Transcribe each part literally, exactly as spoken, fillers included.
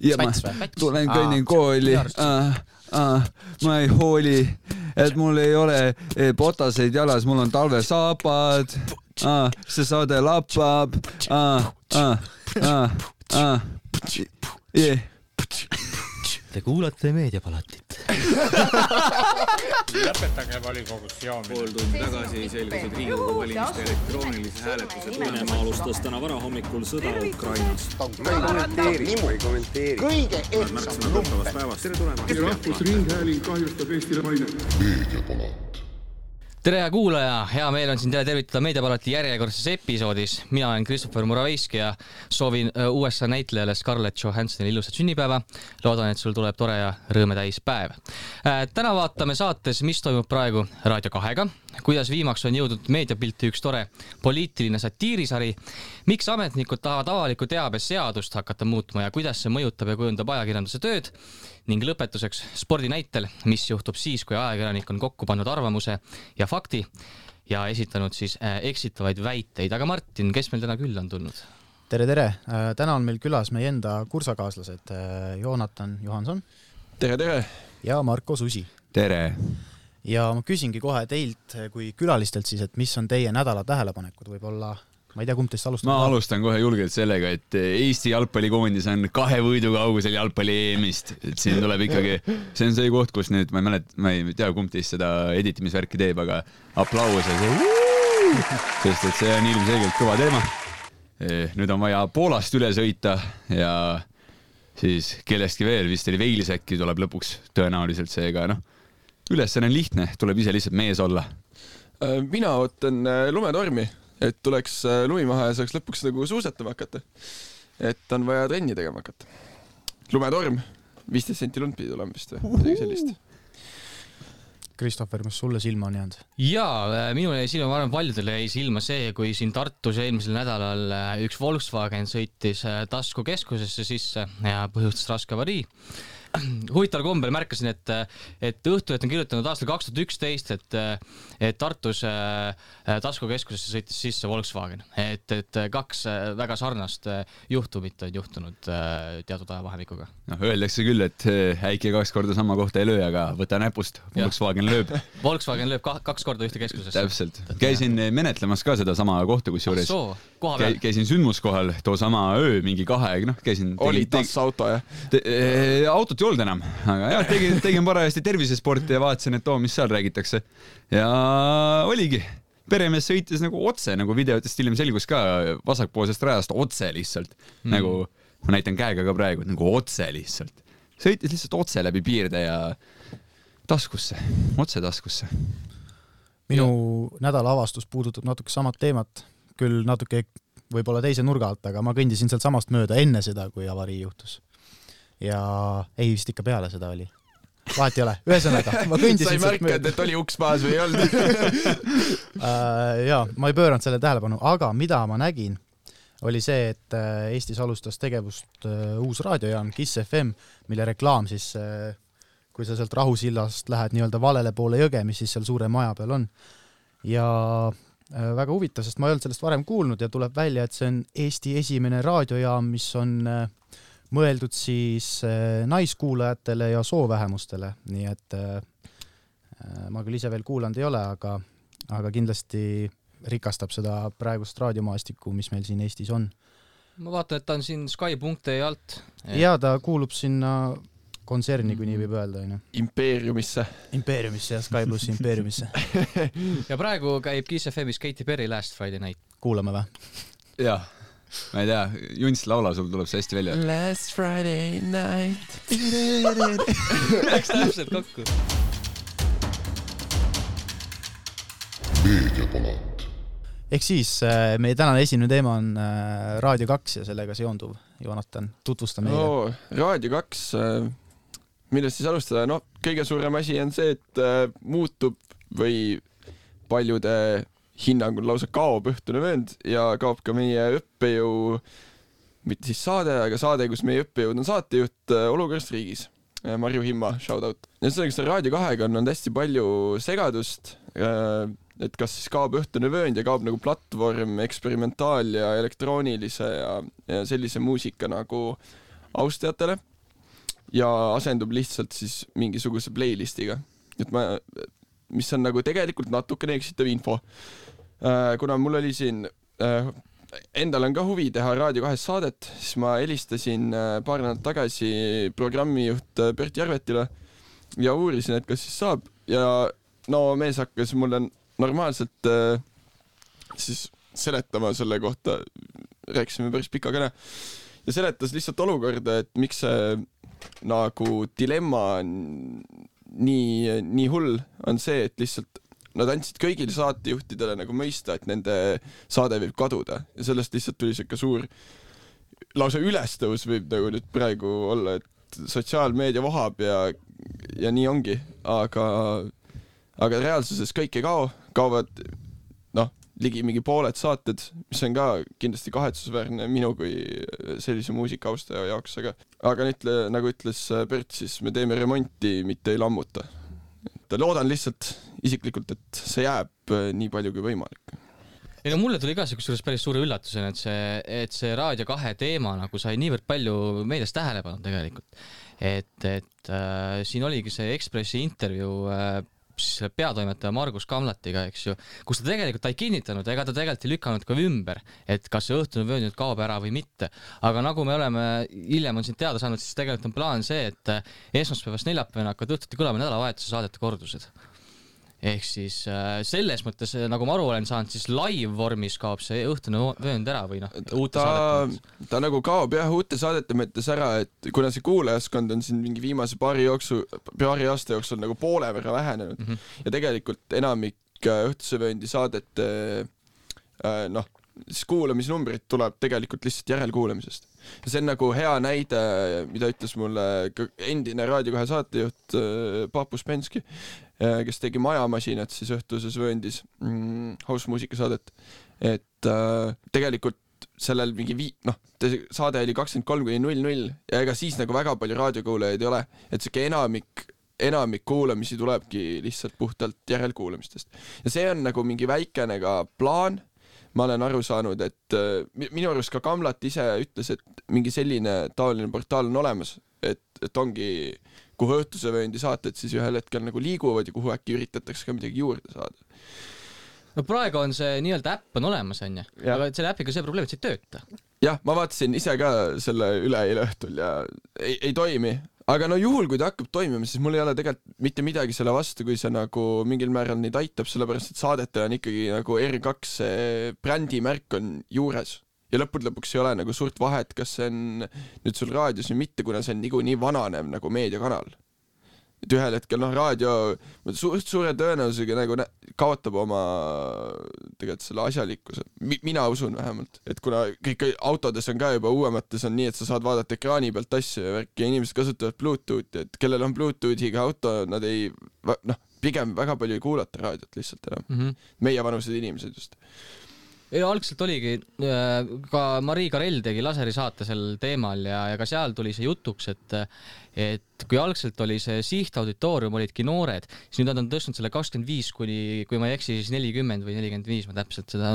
ja ma tulen kõnnin kooli, ah, ah, ma ei hooli, et mul ei ole potaseid jalas, mul on talvesaapad, ah, see saade lappab, ah, ah, ah, ah, yeah. Te kuulate Meediapalatit. Lõpetage volikogus joomine. Pool tundi tagasi selgusid Riigikogu valimiste elektroonilise hääletuse Venemaa alustas täna varahommikul sõda Ukrainas. Kommenteeri, kommenteeri. Kõige ehtsam lumpen. Tere tulemast. Rahvusringhääling kahjustab Eestile mainet. Meediapalat. Tere kuulaja, hea meel on siin teile tervitada Meediapalati järjekordses episoodis. Mina olen Christopher Muraveiski ja soovin U S A näitlejale Scarlett Johanssonile ilusat sünnipäeva. Loodan, et sul tuleb tore ja rõõmetäis päev. Täna vaatame saates, mis toimub praegu Raadio kahega, kuidas viimaks on jõudnud Meediapilti üks tore poliitiline satiirisari, miks ametnikud tahavad avaliku teabe seadust hakata muutma ja kuidas see mõjutab ja kujundab ajakirjanduse tööd, ning lõpetuseks spordi näitel, mis juhtub siis, kui ajakirjanik on kokku pannud arvamuse ja fakti ja esitanud siis eksitavaid väiteid. Aga Martin, kes meil täna külla on tulnud? Tere, tere! Täna on meil külas meie enda kursakaaslased Joonatan Johanson. Tere, tere! Ja Marko Susi. Tere! Ja ma küsingi kohe teilt kui külalistelt siis, et mis on teie nädala tähelepanekud võib-olla. Ma ei tea, kumb teist alustab. Ma alustan kohe julgelt sellega, et Eesti jalgpallikoondis on kahe võidu kaugusel jalgpalli E M-ist. Et siin tuleb ikkagi, see on see koht, kus nüüd, ma ei mälet, ma ei tea, kumb teist seda editimisvärki teeb, aga aplaus ja see, sest et see on ilmselgelt kõva teema. Nüüd on vaja Poolast üle sõita ja siis kellestki veel, vist oli Veilisäkki tuleb lõpuks tõenäoliselt seega, noh, ülesanne on lihtne, tuleb ise lihtsalt mees olla. Mina ootan lumetormi, et tuleks lumi maha ja saaks lõpuks nagu suusatama hakata. Et on vaja trenni tegema hakata. Lumetorm, viisteist senti lund pidi tulema vist või midagi sellist. Christopher, mis sulle silma on jäänud? Jaa, minule jäi silma, ma arvan, paljudele jäi silma see, kui siin Tartus eelmisel nädalal üks Volkswagen sõitis Tasku keskusesse sisse ja põhjustas raske avarii. Huvitaval kombel märkasin, et, et Õhtuleht on kirjutanud aastal kaks tuhat üksteist, et, et Tartus Tasku keskusesse sõitis sisse Volkswagen. Et, et kaks väga sarnast juhtumit on juhtunud teatud ajavahemikuga. No, öeldakse küll, et äike kaks korda sama kohta ei löö, aga võta näpust, Volkswagen lööb. Volkswagen lööb kaks korda ühte keskusesse. Täpselt. Käisin menetlemas ka seda sama kohta, kus juures. Käisin sündmuskohal too sama öö, mingi kahe, noh, käisin... Oli tas auto, jah? Autot ei olnud enam, aga jah, tegin, tegin parajasti tervisesporti ja vaatasin, et too, mis seal räägitakse. Ja oligi. Peremees sõitis nagu otse, nagu videotest hiljem selgus ka vasakpoolsest rajast otse lihtsalt. Mm. Nagu, ma näitan käega ka praegu, nagu otse lihtsalt. Sõitis lihtsalt otse läbi piirde ja taskusse, otse taskusse. Minu nädala avastus puudutab natuke samat teemat, küll natuke võib-olla teise nurga alt, aga ma kõndisin sealt samast mööda enne seda, kui avarii juhtus. Ja ei vist ikka peale seda oli. Vahet ei ole. Ühesõnaga, ma kõndisin sealt mööda. Sa ei märkad, et oli uks maas või ei olnud? uh, jaa, ma ei pööranud selle tähelepanu, aga mida ma nägin, oli see, et Eestis alustas tegevust uh, uus raadiojaam Kiss F M, mille reklaam siis, uh, kui sa sealt Rahusillast lähed nii-öelda valele poole jõge, mis siis seal suure maja peal on. Ja uh, väga huvitav, sest ma ei olnud sellest varem kuulnud ja tuleb välja, et see on Eesti esimene raadiojaam, mis on... Uh, mõeldud siis naiskuulajatele ja soovähemustele, nii et ma küll ise veel kuulanud ei ole, aga, aga kindlasti rikastab seda praegust raadiomaastikku, mis meil siin Eestis on. Ma vaatan, et ta on siin Sky punkt ee alt. Ja ta kuulub sinna kontserni, kui nii võib öelda. Impeeriumisse. Impeeriumisse ja Sky plus Impeeriumisse. Ja praegu käib Kiss F M-is Katy Perry Last Friday Night. Kuulame või? Jaa. Ma ei tea, Junts laula, sul tuleb see hästi välja. Last Friday night. Läks täpselt kokku. Meediapalat. Ehk siis meie tänane esimene teema on Raadio kaks ja sellega seonduv. Joonatan, tutvusta meile. No, Raadio kaks, millest siis alustada? No, kõige suurem asi on see, et muutub või paljude hinnangul lausa kaob Õhtune vöönd ja kaob ka meie õppejõu, mitte siis saade, aga saade, kus meie õppejõud on saatejuht Olukorrast riigis. Marju Himma, shout out. Ja sellega Raadio kahega on hästi palju segadust, et kas siis kaob Õhtune vöönd ja kaob nagu platvorm, eksperimentaal ja elektroonilise ja, ja sellise muusika nagu austajatele ja asendub lihtsalt siis mingisuguse playlistiga. Et ma, mis on nagu tegelikult natukene eksitav info. Kuna mul oli siin endal on ka huvi teha Raadio kahes saadet, siis ma helistasin paar nädalat tagasi programmijuht Bert Järvetile ja uurisin, et kas siis saab ja no mees hakkas mulle normaalselt siis seletama selle kohta, rääkisime päris pika kõne ja seletas lihtsalt olukorda, et miks see nagu dilemma nii, nii hull on see, et lihtsalt nad andsid kõigile saatejuhtidele nagu mõista, et nende saade võib kaduda ja sellest lihtsalt tuli siuke suur lausa ülestõus võib nagu nüüd praegu olla, et sotsiaalmeedia vohab ja, ja nii ongi, aga, aga reaalsuses kõik ei kao, kaovad noh, ligi mingi pooled saated, mis on ka kindlasti kahetsusväärne minu kui sellise muusikaustaja jaoks, aga, aga ütle, nagu ütles Bert, siis me teeme remonti, mitte ei lammuta. Loodan lihtsalt isiklikult, et see jääb nii palju kui võimalik. Ei no mulle tuli ka kusjuures päris suure üllatusena, et see, et see Raadio kahe teema nagu sai niivõrd palju meedias tähelepanu tegelikult. Et, et äh, siin oligi see Ekspressi intervjuu äh, siis peatoimetaja Margus Kamlatiga, eks ju, kus ta tegelikult ta ei kinnitanud, ega ta tegelikult ei lükanud ka ümber, et kas see õhtune vöönd nüüd kaob ära või mitte. Aga nagu me oleme, hiljem on siin teada saanud, siis tegelikult on plaan see, et esmaspäevast neljapäevana hakkavad õhtuti kõlama nädalavahetuse saadete kordused. Ehk siis selles mõttes, nagu ma aru olen saanud, siis live vormis kaob see õhtune vöönd ära või noh, uute ta, saadete. Ta nagu kaob jah uute saadete mõttes ära, et kuna see kuulajaskond on siin mingi viimase paari, jooksu, paari aasta jooksul nagu poole võrra vähenenud mm -hmm. ja tegelikult enamik õhtuse vööndi saadete noh, siis kuulamisnumbrid tuleb tegelikult lihtsalt järelkuulamisest. Ja see on nagu hea näide, mida ütles mulle endine Raadio kahe saatejuht Paapus Penski, kes tegi Majamasinat siis õhtuses vööndis mm, house-muusikasaadet, et äh, tegelikult sellel mingi vii-, noh, saade oli kakskümmend kolm kuni null null ja ega siis nagu väga palju raadiokuulajaid ei ole, et siuke enamik, enamik kuulamisi tulebki lihtsalt puhtalt järelkuulamistest. Ja see on nagu mingi väikene ka plaan, ma olen aru saanud, et äh, minu arust ka Kamlat ise ütles, et mingi selline taoline portaal on olemas, et, et ongi kuhu õhtuse vööndi saated siis ühel hetkel nagu liiguvad ja kuhu äkki üritatakse ka midagi juurde saada. No praegu on see nii-öelda äpp on olemas, on ju, aga selle äpiga see probleem, et see ei tööta. Jah, ma vaatasin ise ka selle üle eile õhtul ja ei, ei toimi, aga no juhul, kui ta hakkab toimima, siis mul ei ole tegelikult mitte midagi selle vastu, kui see nagu mingil määral neid aitab, sellepärast et saadetel on ikkagi nagu R kaks brändimärk on juures. Ja lõpud lõpuks ei ole nagu suurt vahet, kas see on nüüd sul raadios või mitte, kuna see on nigu nii vananev nagu meediakanal. Et ühel hetkel noh, raadio suurt suure tõenäosusega nagu kaotab oma tegelikult selle asjalikkuse. Mina usun vähemalt, et kuna kõik autodes on ka juba uuemates on nii, et sa saad vaadata ekraani pealt asju ja värki ja inimesed kasutavad Bluetoothi, et kellel on Bluetoothiga auto, nad ei, noh, pigem väga palju ei kuulata raadiot lihtsalt enam. Mm -hmm. Meie vanused inimesed just. Ja algselt oligi, ka Marii Karell tegi laseri saate sel teemal ja, ja ka seal tuli see jutuks, et, et kui algselt oli see sihtauditoorium olidki noored, siis nüüd nad on tõstnud selle kakskümmend viis kuni, kui ma ei eksi, siis nelikümmend või nelikümmend viis, ma täpselt seda,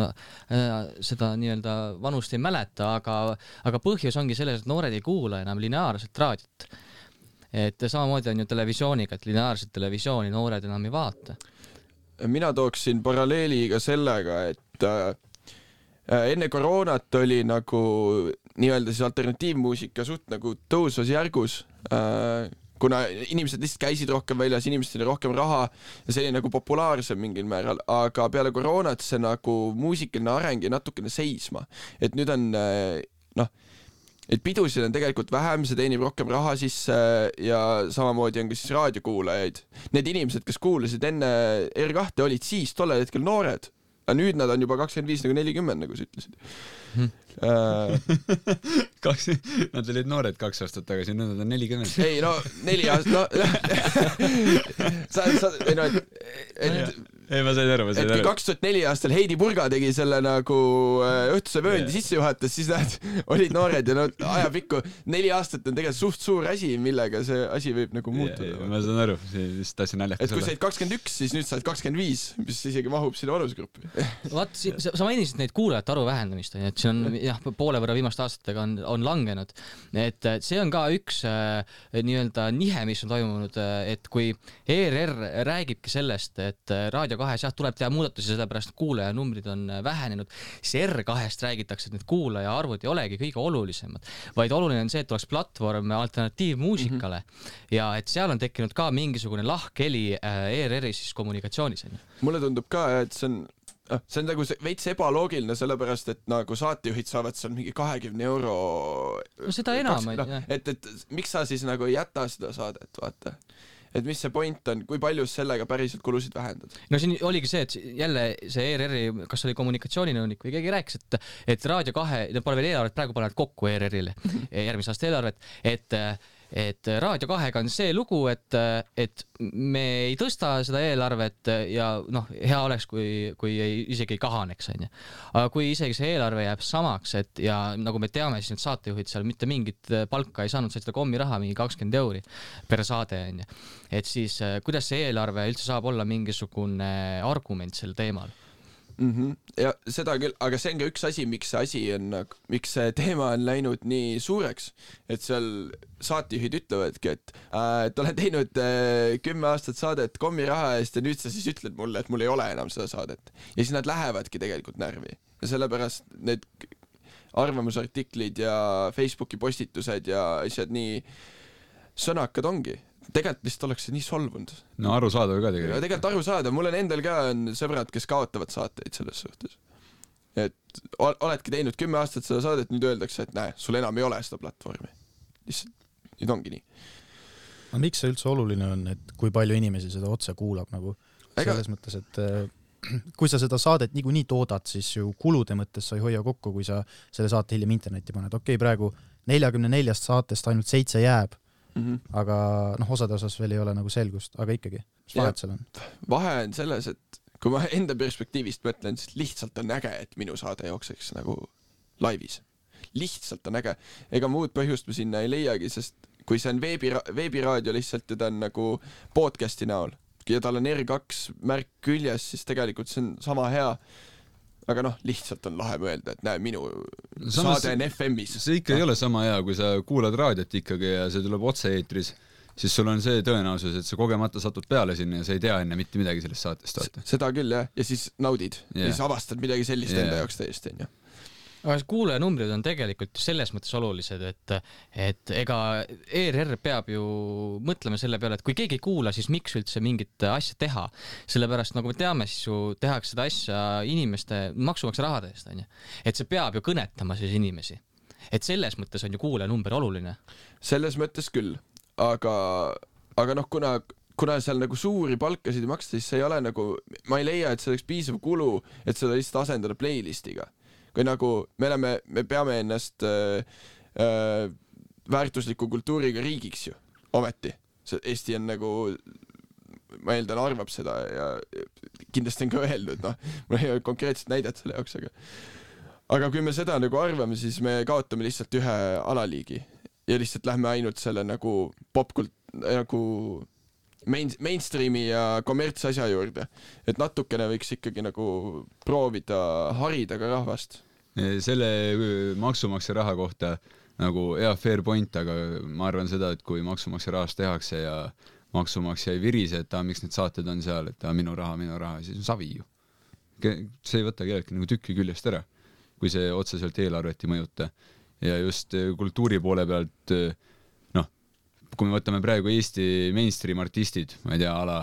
seda nii-öelda vanust ei mäleta, aga, aga põhjus ongi selles, et noored ei kuula enam lineaarset raadiot. Et samamoodi on ju televisiooniga, et lineaarset televisiooni noored enam ei vaata. Mina tooksin paralleeliga sellega, et enne koroonat oli nagu nii-öelda siis alternatiivmuusika suht nagu tõusvas järgus, kuna inimesed lihtsalt käisid rohkem väljas, inimesed oli rohkem raha ja see oli nagu populaarsem mingil määral, aga peale koroonat see nagu muusikaline areng ja natukene seisma. Et nüüd on, noh, et pidusid on tegelikult vähem, see teenib rohkem raha sisse ja samamoodi on ka siis raadiokuulajaid. Need inimesed, kes kuulasid enne R kahte, olid siis tollel hetkel noored. Aga nüüd nad on juba kakskümmend viis nagu nelikümmend, nagu sa ütlesid. Hmm. Uh, kaks, nad olid noored kaks aastat tagasi, nüüd nad on nelikümmend. Ei, no neli aastat, no sa, sa, ei no, et, et ei, ma sain aru, ma sain aru. Et kui kaks tuhat neli aastal Heidi Purga tegi selle nagu õhtuse vööndi yeah. sisse juhatas, siis nad olid noored ja no ajapikku neli aastat on tegelikult suht suur asi, millega see asi võib nagu muutuda. Yeah, ma saan aru, siis tahtsin naljakas olla. Et kui said kakskümmend üks, siis nüüd said kakskümmend viis, mis isegi mahub sinna vanusgruppi. Vaat, sa mainisid neid kuulajate arvu vähendamist, et see on jah, poole võrra viimaste aastatega on, on langenud. Et see on ka üks äh, nii-öelda nihe, mis on toimunud, et kui E R R räägibki sellest, et Raadio kahes jah, tuleb teha muudatusi, sellepärast kuulaja numbrid on vähenenud, siis R kahest räägitakse, et need kuulaja arvud ei olegi kõige olulisemad, vaid oluline on see, et oleks platvorm alternatiivmuusikale mm-hmm. ja et seal on tekkinud ka mingisugune lahkheli E R R-i siis kommunikatsioonis. Mulle tundub ka, et see on see on nagu veits ebaloogiline, sellepärast, et nagu saatejuhid saavad seal mingi kahekümne euro no seda enam no, et, et miks sa siis nagu ei jäta seda saadet, vaata et mis see point on, kui palju sellega päriselt kulusid vähendad? No siin oligi see, et jälle see E R R-i, kas oli kommunikatsiooninõunik või keegi rääkis, et, et Raadio kahe, need pole veel eelarvet, praegu panevad kokku E R R-ile järgmise aasta eelarvet, et et Raadio kahega on see lugu, et, et me ei tõsta seda eelarvet ja noh, hea oleks, kui, kui ei, isegi ei kahaneks, on ju. Aga kui isegi see eelarve jääb samaks, et ja nagu me teame, siis need saatejuhid seal mitte mingit palka ei saanud, said seda kommi raha mingi kakskümmend euri per saade, on ju. Et siis kuidas see eelarve üldse saab olla mingisugune argument sel teemal? Mm-hmm. Ja seda küll, aga see on ka üks asi, miks see asi on, miks see teema on läinud nii suureks, et seal saatejuhid ütlevadki, et äh, et olen teinud äh, kümme aastat saadet kommiraha eest ja nüüd sa siis ütled mulle, et mul ei ole enam seda saadet. Ja siis nad lähevadki tegelikult närvi. Ja sellepärast need arvamusartiklid ja Facebooki postitused ja asjad nii sõnakad ongi. Tegelikult lihtsalt oleks see nii solvunud. No arusaadav ka tegelikult. Ja tegelikult arusaadav. Mul on endal ka on sõbrad, kes kaotavad saateid selles suhtes. Et oledki teinud kümme aastat seda saadet, nüüd öeldakse, et näe, sul enam ei ole seda platvormi. Lihtsalt, nüüd ongi nii. No miks see üldse oluline on, et kui palju inimesi seda otse kuulab nagu Ega... selles mõttes, et kui sa seda saadet nigu nii toodad, siis ju kulude mõttes sa ei hoia kokku, kui sa selle saate hiljem internetti paned. Okei, praegu neljakümne neljast saatest ainult seitse jääb, Mm-hmm. aga noh, osade osas veel ei ole nagu selgust, aga ikkagi, mis vahet seal on? Vahe on selles, et kui ma enda perspektiivist mõtlen, siis lihtsalt on äge, et minu saade jookseks nagu laivis. Lihtsalt on äge. Ega muud põhjust ma sinna ei leiagi, sest kui see on veebi, veebiraadio lihtsalt ja ta on nagu podcasti näol ja tal on R kaks märk küljes, siis tegelikult see on sama hea. Aga noh, lihtsalt on lahe mõelda, et näe, minu Samas, saade on F M-is. See ikka ei ole sama hea, kui sa kuulad raadiot ikkagi ja see tuleb otse eetris, siis sul on see tõenäosus, et sa kogemata satud peale sinna ja sa ei tea enne mitte midagi sellest saatest. Vaata. Seda küll, jah. Ja siis naudid. Yeah. Ja siis avastad midagi sellist yeah. enda jaoks täiesti. Ja. Aga kuulajanumbrid on tegelikult selles mõttes olulised, et, et ega E R R peab ju mõtlema selle peale, et kui keegi ei kuula, siis miks üldse mingit asja teha. Sellepärast, nagu me teame, siis ju tehakse seda asja inimeste maksumaksja rahade eest, on ju. Et see peab ju kõnetama siis inimesi. Et selles mõttes on ju kuulajanumber oluline. Selles mõttes küll, aga, aga noh, kuna, kuna seal nagu suuri palkasid ei maksta, siis see ei ole nagu, ma ei leia, et see oleks piisav kulu, et seda lihtsalt asendada playlistiga. Kui nagu me, oleme, me peame ennast äh, äh, väärtusliku kultuuriga riigiks ju, ometi. See Eesti on nagu, ma eeldan, arvab seda ja kindlasti on ka öeldud, noh, mul ei ole konkreetset näidet selle jaoks, aga aga kui me seda nagu arvame, siis me kaotame lihtsalt ühe alaliigi ja lihtsalt lähme ainult selle nagu popkult, nagu main, mainstreami ja kommertsasja juurde, et natukene võiks ikkagi nagu proovida harida ka rahvast. Selle maksumaksja raha kohta nagu hea fair point, aga ma arvan seda, et kui maksumaksja rahast tehakse ja maksumaksja ei virise, et ta, miks need saated on seal, et ta, minu raha, minu raha, siis on savi ju. See ei võta kellelgi nagu tükki küljest ära, kui see otseselt eelarvet ei mõjuta. Ja just kultuuri poole pealt kui me võtame praegu Eesti mainstream artistid, ma ei tea, ala,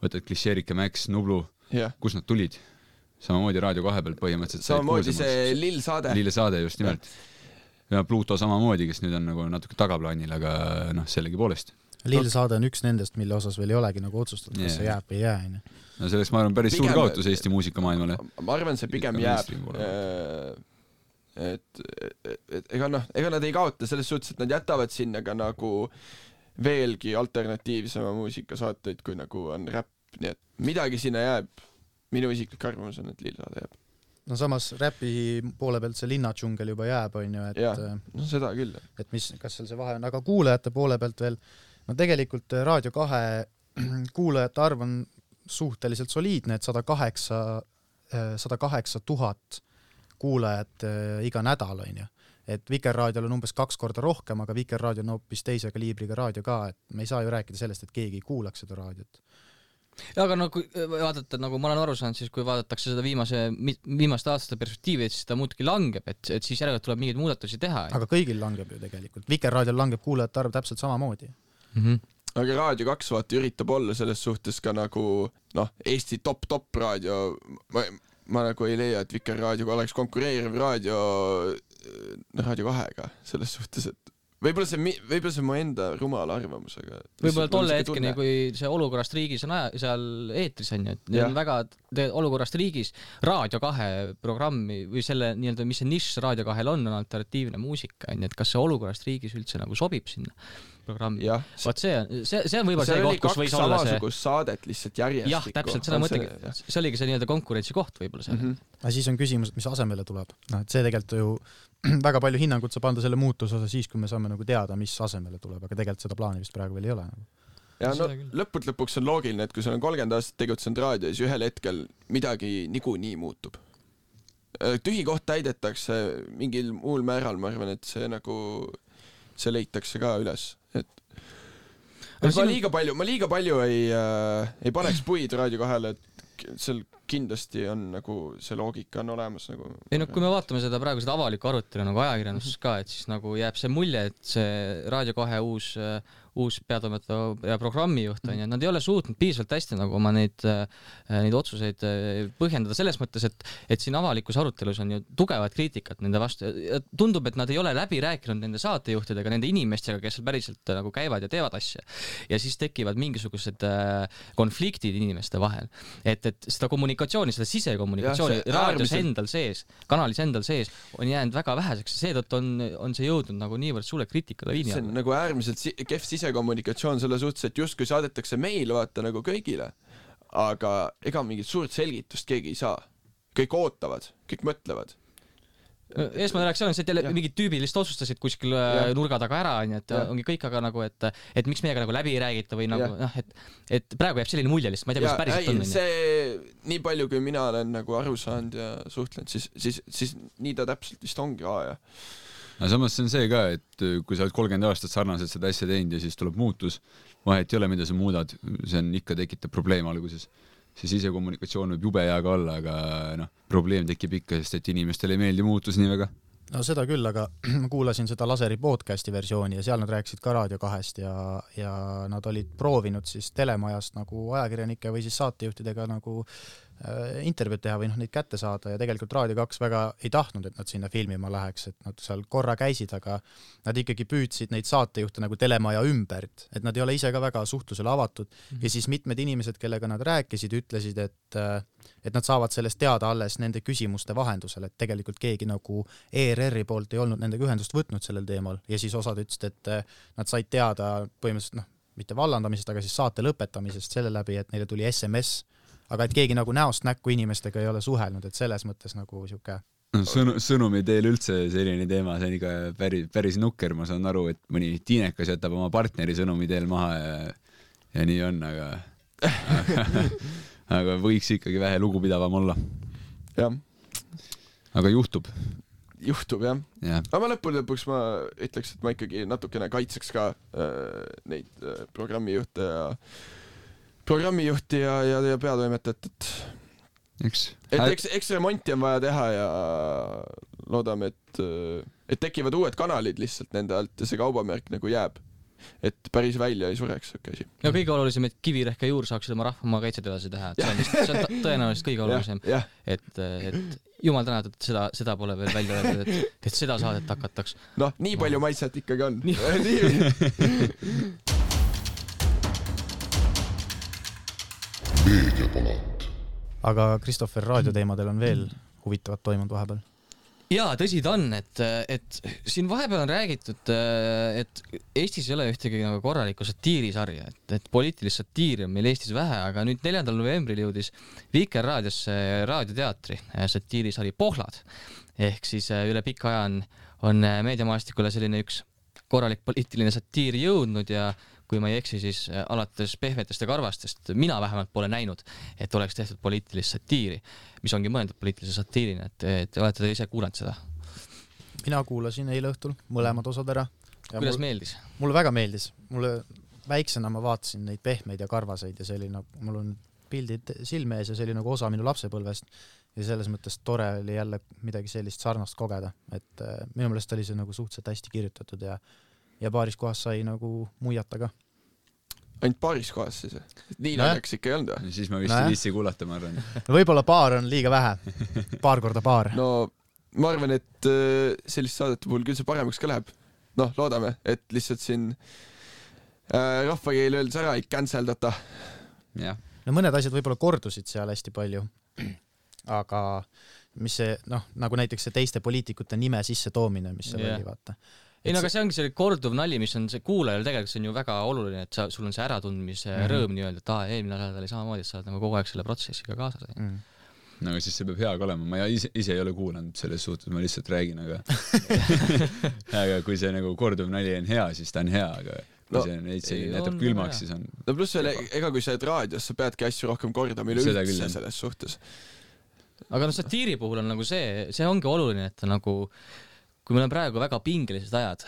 võtad Klišeerike, Max, Nublu, yeah. kus nad tulid? Samamoodi Raadio kahe pealt põhimõtteliselt. Samamoodi see Lill saade. Lill saade, just nimelt. Ja Pluto samamoodi, kes nüüd on nagu natuke tagaplaanil, aga noh, sellegi poolest. Lill saade on üks nendest, mille osas veel ei olegi nagu otsustatud, kas yeah. see jääb või jää. No selleks ma arvan päris pigem, suur kaotus Eesti muusikamaailmale. Ma arvan, see pigem jääb. Et, et, et ega noh, ega nad ei kaota selles suhtes, et nad jätavad sinna ka nagu veelgi alternatiivsema muusikasaateid, kui nagu on räpp, nii et midagi sinna jääb. Minu isiklik arvamus on, et Lill saade jääb. No samas räpi poole pealt see linnadžungel juba jääb, on ju, et ja, no seda küll. Et mis, kas seal see vahe on, aga kuulajate poole pealt veel, no tegelikult Raadio kahe kuulajate arv on suhteliselt soliidne, et sada kaheksa tuhat kuulajad iga nädal, on ju. Et Vikerraadiol on umbes kaks korda rohkem, aga Vikerraadio on hoopis teise kaliibriga raadio ka, et me ei saa ju rääkida sellest, et keegi ei kuulaks seda raadiot. Ja, aga no kui vaadata, nagu ma olen aru saanud, siis kui vaadatakse seda viimase, viimaste aastate perspektiivi, et siis ta muudki langeb, et, et siis järelikult tuleb mingeid muudatusi teha. Aga kõigil langeb ju tegelikult. Vikerraadiol langeb kuulajate arv täpselt samamoodi. Mm-hmm. Aga Raadio kaks vaata üritab olla selles suhtes ka nagu noh, Eesti top-top raadio. Ma, ma nagu ei leia, et Vikerraadioga oleks konkureeriv raadio Raadio kahega selles suhtes, et Võib-olla see, võib-olla see mu enda rumala arvamusega. Võib-olla tolle hetkeni, kui see olukorrast riigis on aja, seal eetris on ju, et need on väga olukorrast riigis Raadio kahe programmi või selle nii-öelda, mis see nišš Raadio kahel on, on alternatiivne muusika, on ju, et kas see olukorrast riigis üldse nagu sobib sinna programmi. Vaat see, see, see on võib-olla see, see koht, kus võis olla see... samasugust saadet lihtsalt järjestikku. Jah, täpselt, seda mõttegi. See oligi see nii-öelda konkurentsi koht võib-olla seal. Mm-hmm. Aga siis on küsimus, et mis asemele tuleb. No, et see tegelikult ju väga palju hinnangut saab anda selle muutuse osa siis, kui me saame nagu teada, mis asemele tuleb, aga tegelikult seda plaani vist praegu veel ei ole. Ja no lõput lõpuks on loogiline, et kui sul on kolmkümmend aastat tegutsenud raadio, siis ühel hetkel midagi nigu nii muutub. Tühi koht täidetakse mingil muul määral, ma arvan, et see nagu see leitakse ka üles. Et ma sinu... liiga palju, ma liiga palju ei, äh, ei paneks puid Raadio kahele, et seal kindlasti on nagu see loogika on olemas nagu. Ei no kui me vaatame seda praegu seda avalikku arutelu nagu ajakirjanduses ka, et siis nagu jääb see mulje, et see Raadio kahe uus uus peatoimetaja ja programmijuht on ja nad ei ole suutnud piisavalt hästi nagu oma neid neid otsuseid põhjendada selles mõttes, et et siin avalikus arutelus on ju tugevat kriitikat nende vastu. Tundub, et nad ei ole läbi rääkinud nende saatejuhtidega, nende inimestega, kes seal päriselt nagu käivad ja teevad asja. Ja siis tekivad mingisugused konfliktid inimeste vahel. Et et seda kommunikatsiooni, seda sisekommunikatsiooni ja, raadios äärmiselt... endal sees, kanalis endal sees on jäänud väga väheseks ja seetõttu on on see jõudnud nagu niivõrd sulle kriitika liini alla. See on nagu äärmiselt si kehv sise kommunikatsioon selle suhtes, et justkui saadetakse meil vaata nagu kõigile, aga ega mingit suurt selgitust keegi ei saa. Kõik ootavad, kõik mõtlevad. Eesmane reaktsioon on see, et jälle mingid tüübilist otsustasid kuskil ja. nurga taga ära, et ja. ongi kõik aga nagu, et, et miks meiega nagu läbi ei räägita või nagu, noh, et, et praegu jääb selline mulje lihtsalt, ma ei tea, kuidas päriselt on. See, nii palju, kui mina olen nagu aru saanud ja suhtlenud, siis, siis, siis nii ta täpselt vist ongi aja. No samas see on see ka, et kui sa oled kolmkümmend aastat sarnaselt seda asja teinud ja siis tuleb muutus, vahet ei ole, mida sa muudad, see on ikka tekitab probleem alguses. See sisekommunikatsioon võib jube hea ka olla, aga noh, probleem tekib ikka, sest et inimestele ei meeldi muutus nii väga. No seda küll, aga ma kuulasin seda Laseri podcasti versiooni ja seal nad rääkisid ka Raadio kahest ja, ja nad olid proovinud siis telemajast nagu ajakirjanike või siis saatejuhtidega nagu intervjuud teha või noh, neid kätte saada ja tegelikult Raadio kaks väga ei tahtnud, et nad sinna filmima läheks, et nad seal korra käisid, aga nad ikkagi püüdsid neid saatejuhte nagu telemaja ümbert, et nad ei ole ise ka väga suhtlusele avatud mm-hmm. ja siis mitmed inimesed, kellega nad rääkisid, ütlesid, et, et nad saavad sellest teada alles nende küsimuste vahendusel, et tegelikult keegi nagu E R R-i poolt ei olnud nendega ühendust võtnud sellel teemal ja siis osad ütlesid, et nad said teada põhimõtteliselt noh, mitte vallandamisest, aga siis saate lõpetamisest selle läbi, et neile tuli S M S aga et keegi nagu näost näkku inimestega ei ole suhelnud, et selles mõttes nagu siuke Sõnu, sõnumi teel üldse selline teema, see on ikka päris, päris nukker, ma saan aru, et mõni tiinekas jätab oma partneri sõnumi teel maha ja, ja nii on, aga aga, aga võiks ikkagi vähe lugupidavam olla. Jah. Aga juhtub. Juhtub, jah. Ja. Aga ma lõpul lõpuks ma ütleks, et ma ikkagi natukene kaitseks ka äh, neid äh, programmijuhte ja programmijuhti ja, ja, ja peatoimetajat, et eks, et eks, eks remonti on vaja teha ja loodame, et, et tekivad uued kanalid lihtsalt nende alt ja see kaubamärk nagu jääb, et päris välja ei sureks okay asi. Ja kõige olulisem, et Kivirehk ja Juur saaksid oma rahvamaa kaitset edasi teha, et see on, vist, see on tõenäoliselt kõige olulisem, ja, ja. et, et jumal tänatud, et seda, seda pole veel välja öeldud, et, et seda saadet hakataks. Noh, nii palju maitset ikkagi on. Aga Christopher, raadioteemadel on veel huvitavat toimunud vahepeal? Jaa, tõsi ta on, et, et siin vahepeal on räägitud, et Eestis ei ole ühtegi nagu korralikku satiirisarja, et, et poliitilist satiiri on meil Eestis vähe, aga nüüd neljandal novembril jõudis Vikerraadiosse raadioteatri satiirisari Pohlad. Ehk siis üle pika aja on, on meediamaastikule selline üks korralik poliitiline satiir jõudnud ja kui ma ei eksi, siis alates Pehmetest ja Karvastest mina vähemalt pole näinud, et oleks tehtud poliitilist satiiri, mis ongi mõeldud poliitilise satiirina, et, et olete te ise kuulanud seda? Mina kuulasin eile õhtul mõlemad osad ära. Kuidas mul, meeldis? Mulle väga meeldis. Mulle väiksena ma vaatasin neid Pehmeid ja Karvaseid ja see oli nagu, mul on pildid silme ees ja see oli nagu osa minu lapsepõlvest ja selles mõttes tore oli jälle midagi sellist sarnast kogeda, et äh, minu meelest oli see nagu suhteliselt hästi kirjutatud ja, ja paaris kohas sai nagu muiata ka. Ainult paaris kohas siis? Nii naljaks ikka ei olnud või? Siis ma vist ei viitsi kuulata, ma arvan. No võib-olla paar on liiga vähe. Paar korda paar. No ma arvan, et sellist saadete puhul küll see paremaks ka läheb. Noh, loodame, et lihtsalt siin äh, rahvakeel öeldes ära ei canceldata. Ja. No mõned asjad võib-olla kordusid seal hästi palju, aga mis see, noh, nagu näiteks see teiste poliitikute nime sisse toomine, mis seal yeah. oli, vaata. Ei, no aga see ongi see korduv nali, mis on see kuulajal tegelikult see on ju väga oluline, et sa, sul on see äratundmise mm -hmm. rõõm nii-öelda, et aa, eelmine nädal oli samamoodi, et sa oled nagu kogu aeg selle protsessiga kaasas. Mm -hmm. No aga siis see peab hea ka olema, ma ise, ise ei ole kuulanud selles suhtes, ma lihtsalt räägin, aga aga kui see nagu korduv nali on hea, siis ta on hea, aga kui no, see neid see näitab külmaks, siis on no pluss veel, ega kui sa oled raadios, sa peadki asju rohkem kordama üleüldse selles suhtes. Aga no satiiri puhul on nagu see, see ongi oluline, et nagu kui meil on praegu väga pingelised ajad,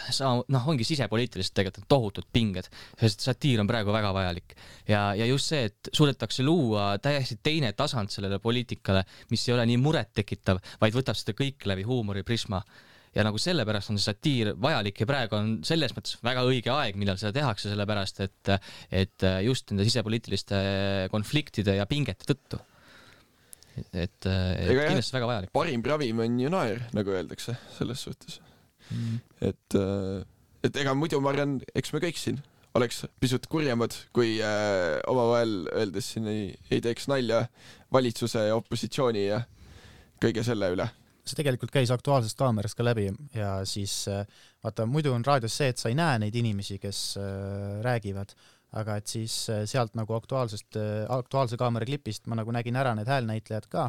noh, ongi sisepoliitiliselt tegelikult tohutud pinged, sest satiir on praegu väga vajalik. Ja, ja just see, et suudetakse luua täiesti teine tasand sellele poliitikale, mis ei ole nii muret tekitav, vaid võtab seda kõik läbi huumori prisma. Ja nagu sellepärast on see satiir vajalik ja praegu on selles mõttes väga õige aeg, millal seda tehakse, sellepärast, et, et just nende sisepoliitiliste konfliktide ja pingete tõttu. Et, et ega kindlasti väga vajalik. Parim ravim on ju naer, nagu öeldakse selles suhtes. Mm. Et, et ega muidu ma arvan, eks me kõik siin oleks pisut kurjemad, kui äh, omavahel öeldes siin ei, ei teeks nalja valitsuse ja opositsiooni ja kõige selle üle. See tegelikult käis Aktuaalsest kaamerast ka läbi ja siis vaata, muidu on raadios see, et sa ei näe neid inimesi, kes äh, räägivad, aga et siis sealt nagu aktuaalsest, aktuaalse kaamera klipist ma nagu nägin ära need häälnäitlejad ka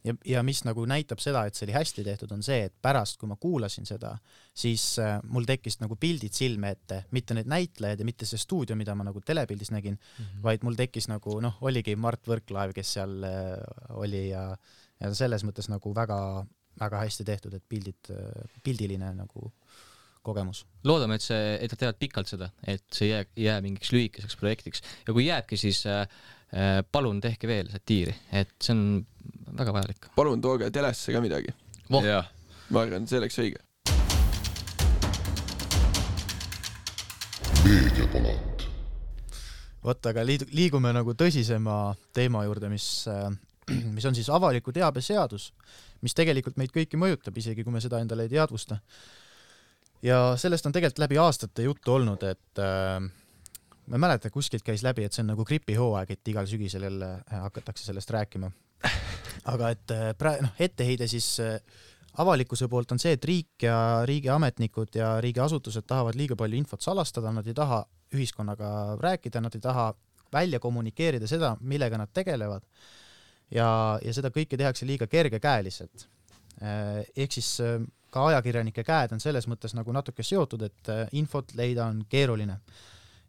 ja, ja mis nagu näitab seda, et see oli hästi tehtud, on see, et pärast, kui ma kuulasin seda, siis mul tekkis nagu pildid silme ette, mitte need näitlejad ja mitte see stuudio, mida ma nagu telepildis nägin, mm-hmm. vaid mul tekkis nagu, noh, oligi Mart Võrklaev, kes seal oli ja, ja selles mõttes nagu väga, väga hästi tehtud, et pildid, pildiline nagu kogemus. Loodame, et see, et nad teevad pikalt seda, et see jää, jää mingiks lühikeseks projektiks ja kui jääbki, siis äh, palun tehke veel satiiri, et see on väga vajalik. Palun tooge telesse ka midagi. Voh. Ma arvan, see oleks õige. Meediapalat. Võtta, aga liigume nagu tõsisema teema juurde, mis, mis on siis avaliku teabe seadus, mis tegelikult meid kõiki mõjutab, isegi kui me seda endale ei teadvusta. Ja sellest on tegelikult läbi aastate juttu olnud, et äh, ma mäletan, kuskilt käis läbi, et see on nagu gripihooaeg, et igal sügisel jälle hakatakse sellest rääkima. Aga et praegu, noh, etteheide siis äh, avalikkuse poolt on see, et riik ja riigiametnikud ja riigiasutused tahavad liiga palju infot salastada, nad ei taha ühiskonnaga rääkida, nad ei taha välja kommunikeerida seda, millega nad tegelevad. Ja, ja seda kõike tehakse liiga kergekäeliselt. Äh, ehk siis äh, ka ajakirjanike käed on selles mõttes nagu natuke seotud, et infot leida on keeruline.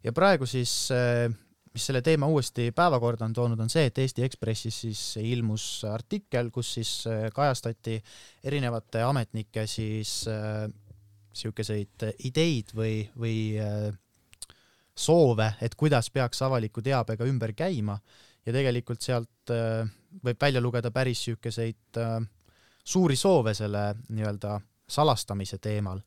Ja praegu siis, mis selle teema uuesti päevakorda on toonud, on see, et Eesti Ekspressis siis ilmus artikkel, kus siis kajastati erinevate ametnike siis siukeseid ideid või, või soove, et kuidas peaks avaliku teabega ümber käima ja tegelikult sealt võib välja lugeda päris siukeseid suuri soove selle nii-öelda salastamise teemal.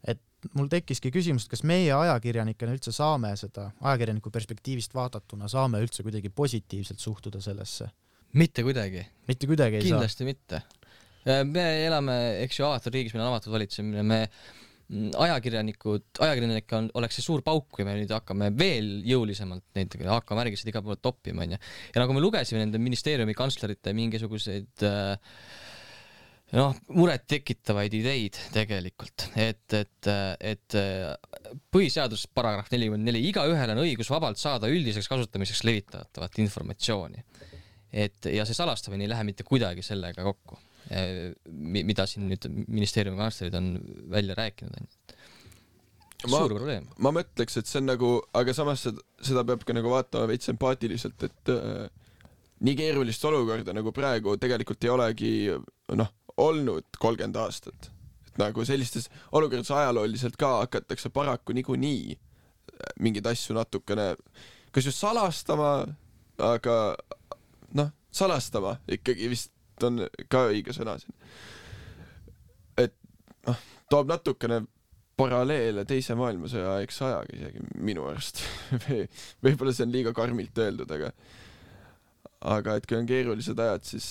Et mul tekkiski küsimus, et kas meie ajakirjanikena üldse saame seda, ajakirjaniku perspektiivist vaatatuna, saame üldse kuidagi positiivselt suhtuda sellesse? Mitte kuidagi. Mitte kuidagi ei Kindlasti saa? mitte. Me elame, eks ju, avatud riigis, meil on avatud valitsemine, me ajakirjanikud, ajakirjanik on, oleks see suur pauk, kui me nüüd hakkame veel jõulisemalt neid hakkame märgised iga poole toppima. Ja nagu me lugesime nende ministeeriumi kantslerite mingisuguseid noh, muret tekitavaid ideid tegelikult, et, et, et põhiseadus paragrahv nelikümmend neli, iga ühel on õigus vabalt saada üldiseks kasutamiseks levitatavat informatsiooni. Et, ja see salastamine ei lähe mitte kuidagi sellega kokku, mida siin nüüd ministeeriumi kantslerid on välja rääkinud. suur probleem. Ma mõtleks, et see on nagu, aga samas seda peab ka nagu vaatama veits empaatiliselt, et äh, nii keerulist olukorda nagu praegu tegelikult ei olegi noh, olnud kolmkümmend aastat. Et nagu sellistes olukordades ajalooliselt ka hakatakse paraku niikuinii mingeid asju natukene kas just salastama, aga noh, salastama ikkagi vist on ka õige sõna siin. Et noh, toob natukene paralleele teise maailmasõja aegse ajaga isegi minu arust. Võib-olla see on liiga karmilt öeldud, aga aga et kui on keerulised ajad, siis,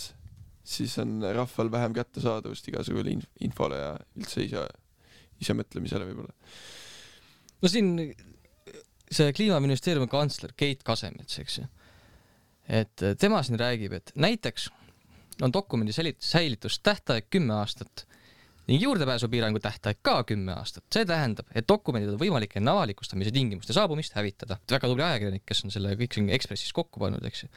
siis on rahval vähem kättesaadavust igasugule infole ja üldse ise, ise mõtlemisele võib-olla. No siin see Kliimaministeeriumi kantsler Keit Kasemets, eks ju, et tema siin räägib, et näiteks on dokumendi säilitus tähtaeg kümme aastat ning juurdepääsupiirangu tähtaeg ka kümme aastat. See tähendab, et dokumendid on võimalik enne avalikustamise tingimuste saabumist hävitada. Väga tubli ajakirjanik, kes on selle kõik siin Ekspressis kokku pannud, eks ju.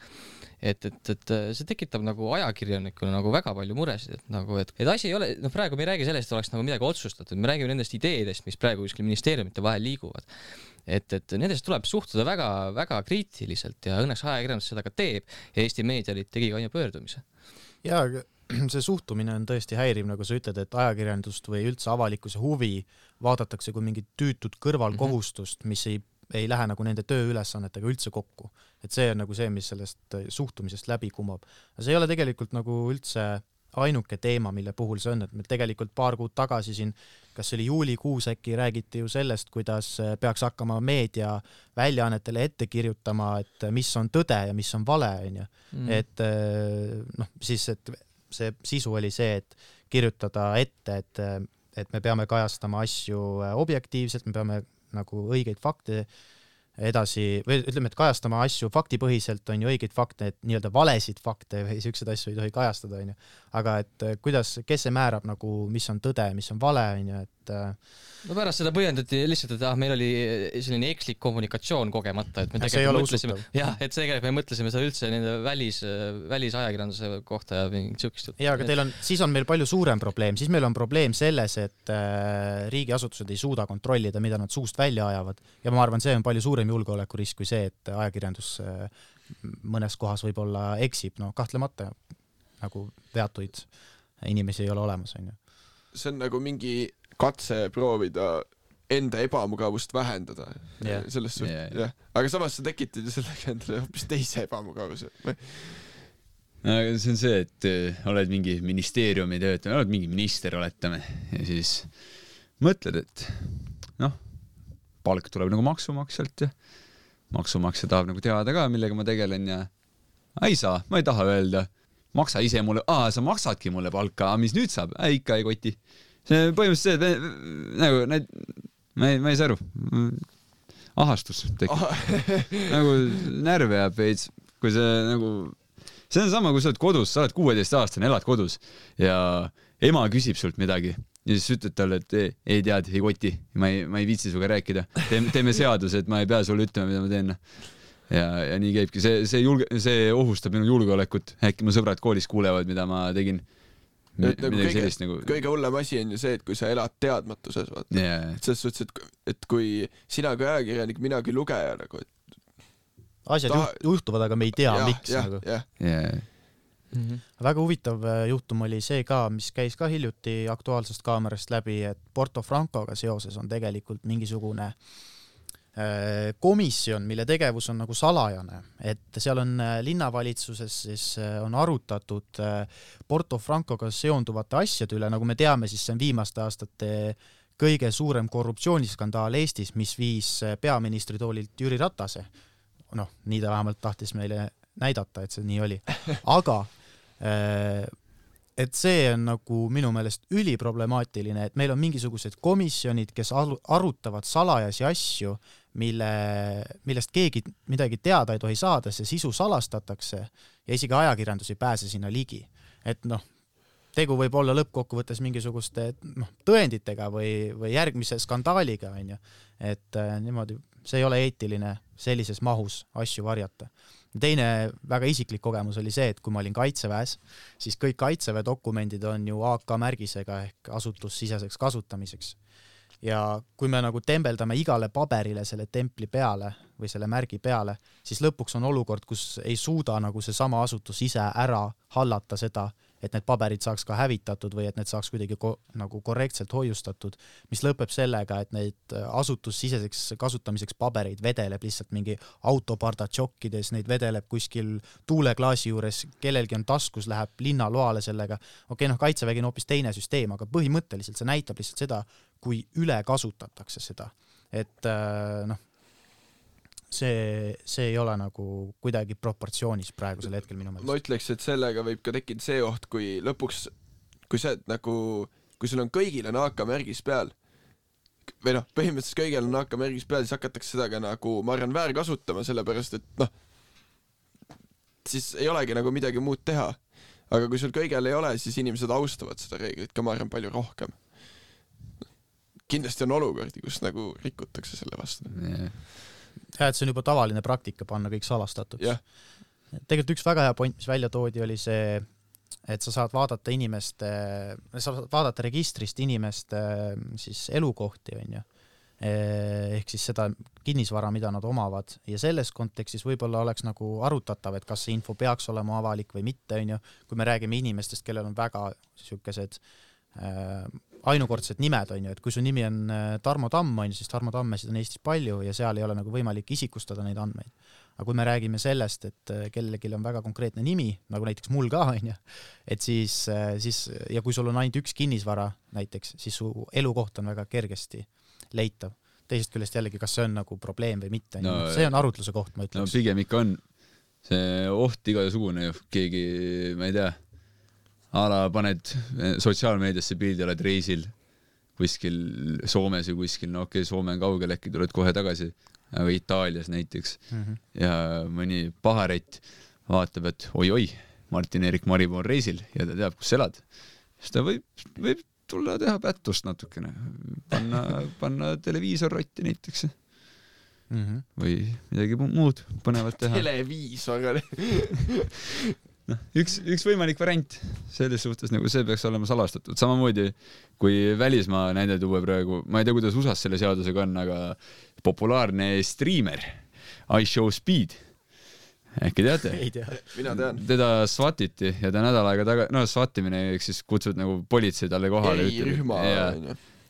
Et, et, et see tekitab nagu ajakirjanikuna nagu väga palju muresid, et, nagu, et, et asi ei ole, no praegu me ei räägi sellest, et oleks nagu midagi otsustatud, me räägime nendest ideedest, mis praegu kuskil ministeeriumite vahel liiguvad. Et, et nendest tuleb suhtuda väga, väga kriitiliselt ja õnneks ajakirjandus seda ka teeb ja Eesti Meedialiit tegi ka pöördumise. Ja see suhtumine on tõesti häiriv, nagu sa ütled, et ajakirjandust või üldse avalikkuse huvi vaadatakse kui mingit tüütud kõrvalkohustust, mis ei, ei lähe nagu nende tööülesannetega üldse kokku. Et see on nagu see, mis sellest suhtumisest läbi kumab. See ei ole tegelikult nagu üldse ainuke teema, mille puhul see on, et meil tegelikult paar kuud tagasi siin, kas see oli juulikuus äkki, räägiti ju sellest, kuidas peaks hakkama meedia väljaannetele ette kirjutama, et mis on tõde ja mis on vale, on ju. Mm. Et noh, siis, et see sisu oli see, et kirjutada ette, et, et me peame kajastama asju objektiivselt, me peame nagu õigeid fakte edasi, või ütleme, et kajastama asju faktipõhiselt on ju õigeid fakte, et nii-öelda valesid fakte või siuksed asju ei tohi kajastada, on ju. Aga et kuidas, kes see määrab nagu, mis on tõde, mis on vale, on ju, et no pärast seda põhjendati lihtsalt, et ah, meil oli selline ekslik kommunikatsioon kogemata, et me tegelikult mõtlesime, jah, et tegelikult me mõtlesime seda üldse nende välis, välisajakirjanduse kohta ja mingit siukest. Ja, aga teil on, siis on meil palju suurem probleem, siis meil on probleem selles, et riigiasutused ei suuda kontrollida, mida nad suust välja ajavad ja ma arvan, see on palju suurem julgeolekurisk kui see, et ajakirjandus mõnes kohas võib-olla eksib, no kahtlemata nagu veatuid inimesi ei ole olemas, on ju. See on nagu mingi katse proovida enda ebamugavust vähendada. Yeah. Selles suht, yeah, yeah. Aga samas sa tekitad ju sellega endale hoopis teise ebamugavuse. Aga see on see, et oled mingi ministeeriumi töötaja, oled mingi minister, oletame, ja siis mõtled, et noh, palk tuleb nagu maksumaksjalt ja maksumaksja tahab nagu teada ka, millega ma tegelen ja ei saa, ma ei taha öelda, maksa ise mulle, aa, sa maksadki mulle palka, mis nüüd saab? Ei, ikka ei koti. See põhimõtteliselt see, nagu, need, ma ei, ma ei saa aru, ahastus tekib. Nagu närve jääb veits, kui see nagu, see on sama, kui sa oled kodus, sa oled kuueteist aastane, elad kodus ja ema küsib sult midagi ja siis ütled talle, et ei, ei tead, ei koti, ma ei, ma ei viitsi suga rääkida, teeme, teeme seaduse, et ma ei pea sulle ütlema, mida ma teen. Ja, ja nii käibki, see, see, julge, see ohustab minu julgeolekut, äkki mu sõbrad koolis kuulevad, mida ma tegin. Nagu kõige, sellist, nagu... kõige hullem asi on ju see, et kui sa elad teadmatuses, vaata. Yeah. Et selles suhtes, et, et kui sina kui ajakirjanik, mina kui lugeja nagu, et... asjad ta... juhtuvad, aga me ei tea, ja, miks. Ja, nagu. Ja. Yeah. Mm-hmm. Väga huvitav juhtum oli see ka, mis käis ka hiljuti Aktuaalsest kaamerast läbi, et Porto Francoga seoses on tegelikult mingisugune komisjon, mille tegevus on nagu salajane, et seal on linnavalitsuses siis on arutatud Porto Francoga seonduvate asjade üle, nagu me teame, siis see on viimaste aastate kõige suurem korruptsiooniskandaal Eestis, mis viis peaministri toolilt Jüri Ratase. Noh, nii ta vähemalt tahtis meile näidata, et see nii oli. Aga et see on nagu minu meelest üliproblemaatiline, et meil on mingisugused komisjonid, kes arutavad salajasi asju, mille, millest keegi midagi teada ei tohi saada, see sisu salastatakse ja isegi ajakirjandus ei pääse sinna ligi. Et noh, tegu võib olla lõppkokkuvõttes mingisuguste noh, tõenditega või, või järgmise skandaaliga, on ju. Et äh, niimoodi, see ei ole eetiline sellises mahus asju varjata. Teine väga isiklik kogemus oli see, et kui ma olin Kaitseväes, siis kõik Kaitseväe dokumendid on ju A K märgisega ehk asutussiseseks kasutamiseks. ja kui me nagu tembeldame igale paberile selle templi peale või selle märgi peale, siis lõpuks on olukord, kus ei suuda nagu see sama asutus ise ära hallata seda, et need paberid saaks ka hävitatud või et need saaks kuidagi ko nagu korrektselt hoiustatud, mis lõpeb sellega, et neid asutussiseseks kasutamiseks pabereid vedeleb lihtsalt mingi autoparda tšokkides, neid vedeleb kuskil tuuleklaasi juures, kellelgi on taskus, läheb linnaloale sellega. Okei, okay, noh, kaitsevägi on hoopis teine süsteem, aga põhimõtteliselt see näitab lihtsalt seda, kui üle kasutatakse seda. Et noh, see, see ei ole nagu kuidagi proportsioonis praegusel hetkel minu meelest. Ma ütleks, et sellega võib ka tekkida see oht, kui lõpuks, kui see nagu, kui sul on kõigil on A K märgis peal, või noh, põhimõtteliselt kõigil on A K märgis peal, siis hakatakse seda ka nagu, ma arvan, väär kasutama, sellepärast, et noh, siis ei olegi nagu midagi muud teha. Aga kui sul kõigil ei ole, siis inimesed austavad seda reeglit ka, ma arvan, palju rohkem. Kindlasti on olukordi, kus nagu rikutakse selle vastu. Yeah. Ja, et see on juba tavaline praktika panna kõik salastatud. Yeah. Tegelikult üks väga hea point, mis välja toodi, oli see, et sa saad vaadata inimeste, sa saad vaadata registrist inimeste siis elukohti, on ju. Ehk siis seda kinnisvara, mida nad omavad. Ja selles kontekstis võib-olla oleks nagu arutatav, et kas see info peaks olema avalik või mitte, on ju. Kui me räägime inimestest, kellel on väga sihukesed äh, ainukordsed nimed, on ju, et kui su nimi on Tarmo Tamm, on ju, siis Tarmo Tammesid on Eestis palju ja seal ei ole nagu võimalik isikustada neid andmeid. Aga kui me räägime sellest, et kellelgi on väga konkreetne nimi, nagu näiteks mul ka, on ju, et siis, siis, ja kui sul on ainult üks kinnisvara näiteks, siis su elukoht on väga kergesti leitav. Teisest küljest jällegi, kas see on nagu probleem või mitte, no, see on arutluse koht, ma ütleks. No pigem ikka on see oht igasugune ju, keegi, ma ei tea, ala paned sotsiaalmeediasse pildi, oled reisil kuskil Soomes või kuskil, no okei, okay, Soome on kaugel, äkki tuled kohe tagasi, aga Itaalias näiteks mm -hmm. ja mõni paharett vaatab, et oi-oi, Martin-Erik Maripuu on reisil ja ta teab, kus elad. Siis ta võib, võib tulla teha pättust natukene, panna, panna televiisor rotti näiteks mm -hmm. või midagi muud põnevat teha. Televiisor No, üks, üks võimalik variant selles suhtes, nagu see peaks olema salastatud. Samamoodi, kui välismaa näide tuua praegu, ma ei tea, kuidas U S A-s selle seadusega on, aga populaarne striimer iShowSpeed, äkki teate? Ei tea. Mina tean. Teda swatiti ja ta nädal aega taga, no swatimine, eks siis kutsud nagu politsei talle kohale. Ei, rühma. Ja,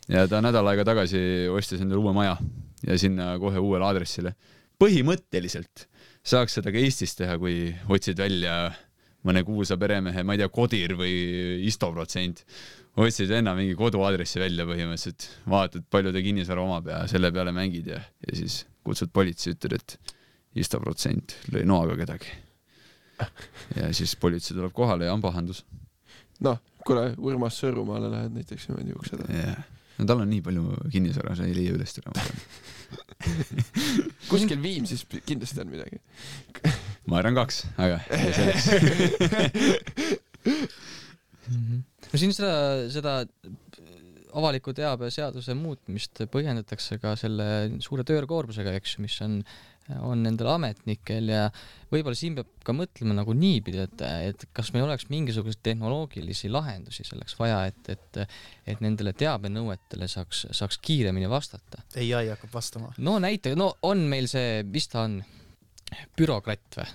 ja ta nädal aega tagasi ostis endale uue maja ja sinna kohe uuele aadressile. Põhimõtteliselt saaks seda ka Eestis teha, kui otsid välja mõne kuulsa peremehe, ma ei tea, Kodir või Istoprotsent, otsid enna mingi koduaadressi välja põhimõtteliselt, vaatad, palju ta kinnisvara omab ja selle peale mängid ja, ja siis kutsud politsei, ütled, et Istoprotsent lõi noaga kedagi. Ja siis politsei tuleb kohale ja on pahandus. Noh, kuule, Urmas Sõõrumaale lähed näiteks niimoodi ukseda. Yeah. No tal on nii palju kinnisvara, see ei leia üles täna. Kuskil Viimsis kindlasti on midagi. Ma arvan kaks, aga no siin seda, seda avaliku teabe seaduse muutmist põhjendatakse ka selle suure töökoormusega, eks, mis on, on nendel ametnikel ja võib-olla siin peab ka mõtlema nagu niipidi, et, et kas meil oleks mingisuguseid tehnoloogilisi lahendusi selleks vaja, et, et, et nendele teabenõuetele saaks, saaks kiiremini vastata. Ei, ei hakkab vastama. No näiteks, no on meil see, mis ta on, bürokratt või?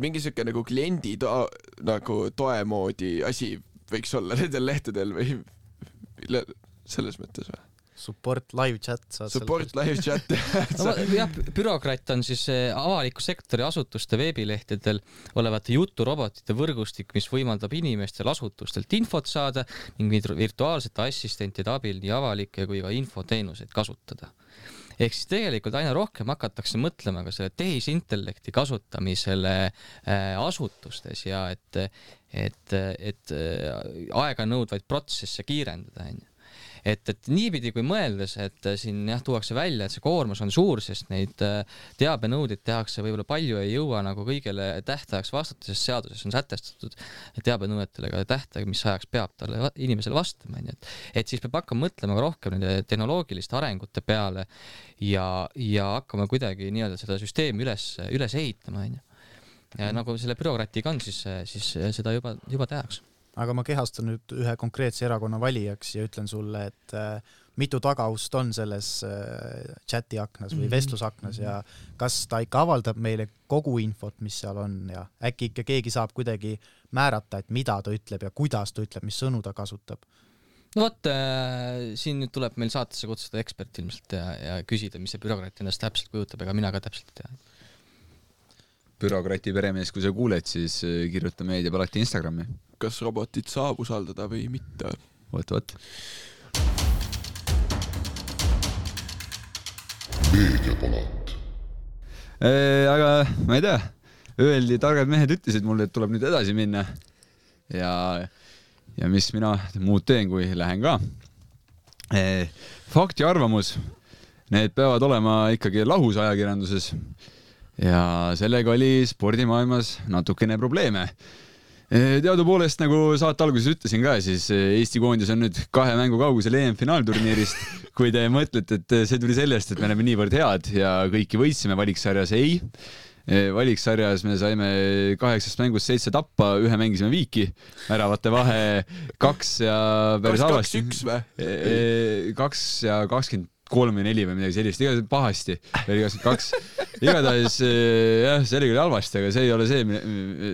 Mingi siuke nagu kliendi to nagu toe moodi asi võiks olla nendel lehtedel või selles mõttes või? Support live chat. Support live chat. no, jah, bürokratt on siis avaliku sektori asutuste veebilehtedel olevate juturobotite võrgustik, mis võimaldab inimestel asutustelt infot saada ning virtuaalsete assistentide abil nii avalikke kui ka infoteenuseid kasutada. Ehk siis tegelikult aina rohkem hakatakse mõtlema ka selle tehisintellekti kasutamisele asutustes ja et, et, et aega nõudvaid protsesse kiirendada. Et, et niipidi kui mõeldes, et siin jah, tuuakse välja, et see koormus on suur, sest neid teabenõudeid tehakse võib-olla palju ei jõua nagu kõigele tähtajaks vastata, sest seaduses on sätestatud teabenõuetele ka tähtaeg, mis ajaks peab talle inimesele vastama. Et, et siis peab hakkama mõtlema rohkem nende tehnoloogiliste arengute peale ja, ja hakkama kuidagi nii-öelda seda süsteemi üles, üles ehitama. Ja nagu selle bürokratiga on, siis, siis seda juba, juba tehakse. Aga ma kehastan nüüd ühe konkreetse erakonna valijaks ja ütlen sulle, et mitu tagaust on selles chati aknas või vestlusaknas ja kas ta ikka avaldab meile kogu infot, mis seal on ja äkki ikka keegi saab kuidagi määrata, et mida ta ütleb ja kuidas ta ütleb, mis sõnu ta kasutab. No vot, äh, siin nüüd tuleb meil saatesse kutsuda ekspert ilmselt ja, ja küsida, mis see bürokraat ennast täpselt kujutab, ega mina ka täpselt ei tea. Bürokrati peremees, kui sa kuuled, siis kirjuta meediab alati Instagrami. Kas robotit saab usaldada või mitte? Võt, võt. Meediapalat. Eee, aga ma ei tea, öeldi, targad mehed ütlesid mulle, et tuleb nüüd edasi minna ja, ja mis mina muud teen, kui lähen ka. Eee, fakt ja arvamus, need peavad olema ikkagi lahus ajakirjanduses ja sellega oli spordimaailmas natukene probleeme. Teadupoolest, nagu saate alguses ütlesin ka, siis Eesti koondis on nüüd kahe mängu kaugusel E M-finaalturniirist. Kui te mõtlete, et see tuli sellest, et me oleme niivõrd head ja kõiki võitsime valiksarjas, ei. Valiksarjas me saime kaheksast mängust seitse tappa, ühe mängisime viiki, väravate vahe kaks ja päris halvasti. kaks üks või? Kaks ja kakskümmend kolm ja neli või midagi sellist, igatahes pahasti, veel kakskümmend kaks. Igatahes, jah, see oli küll halvasti, aga see ei ole see,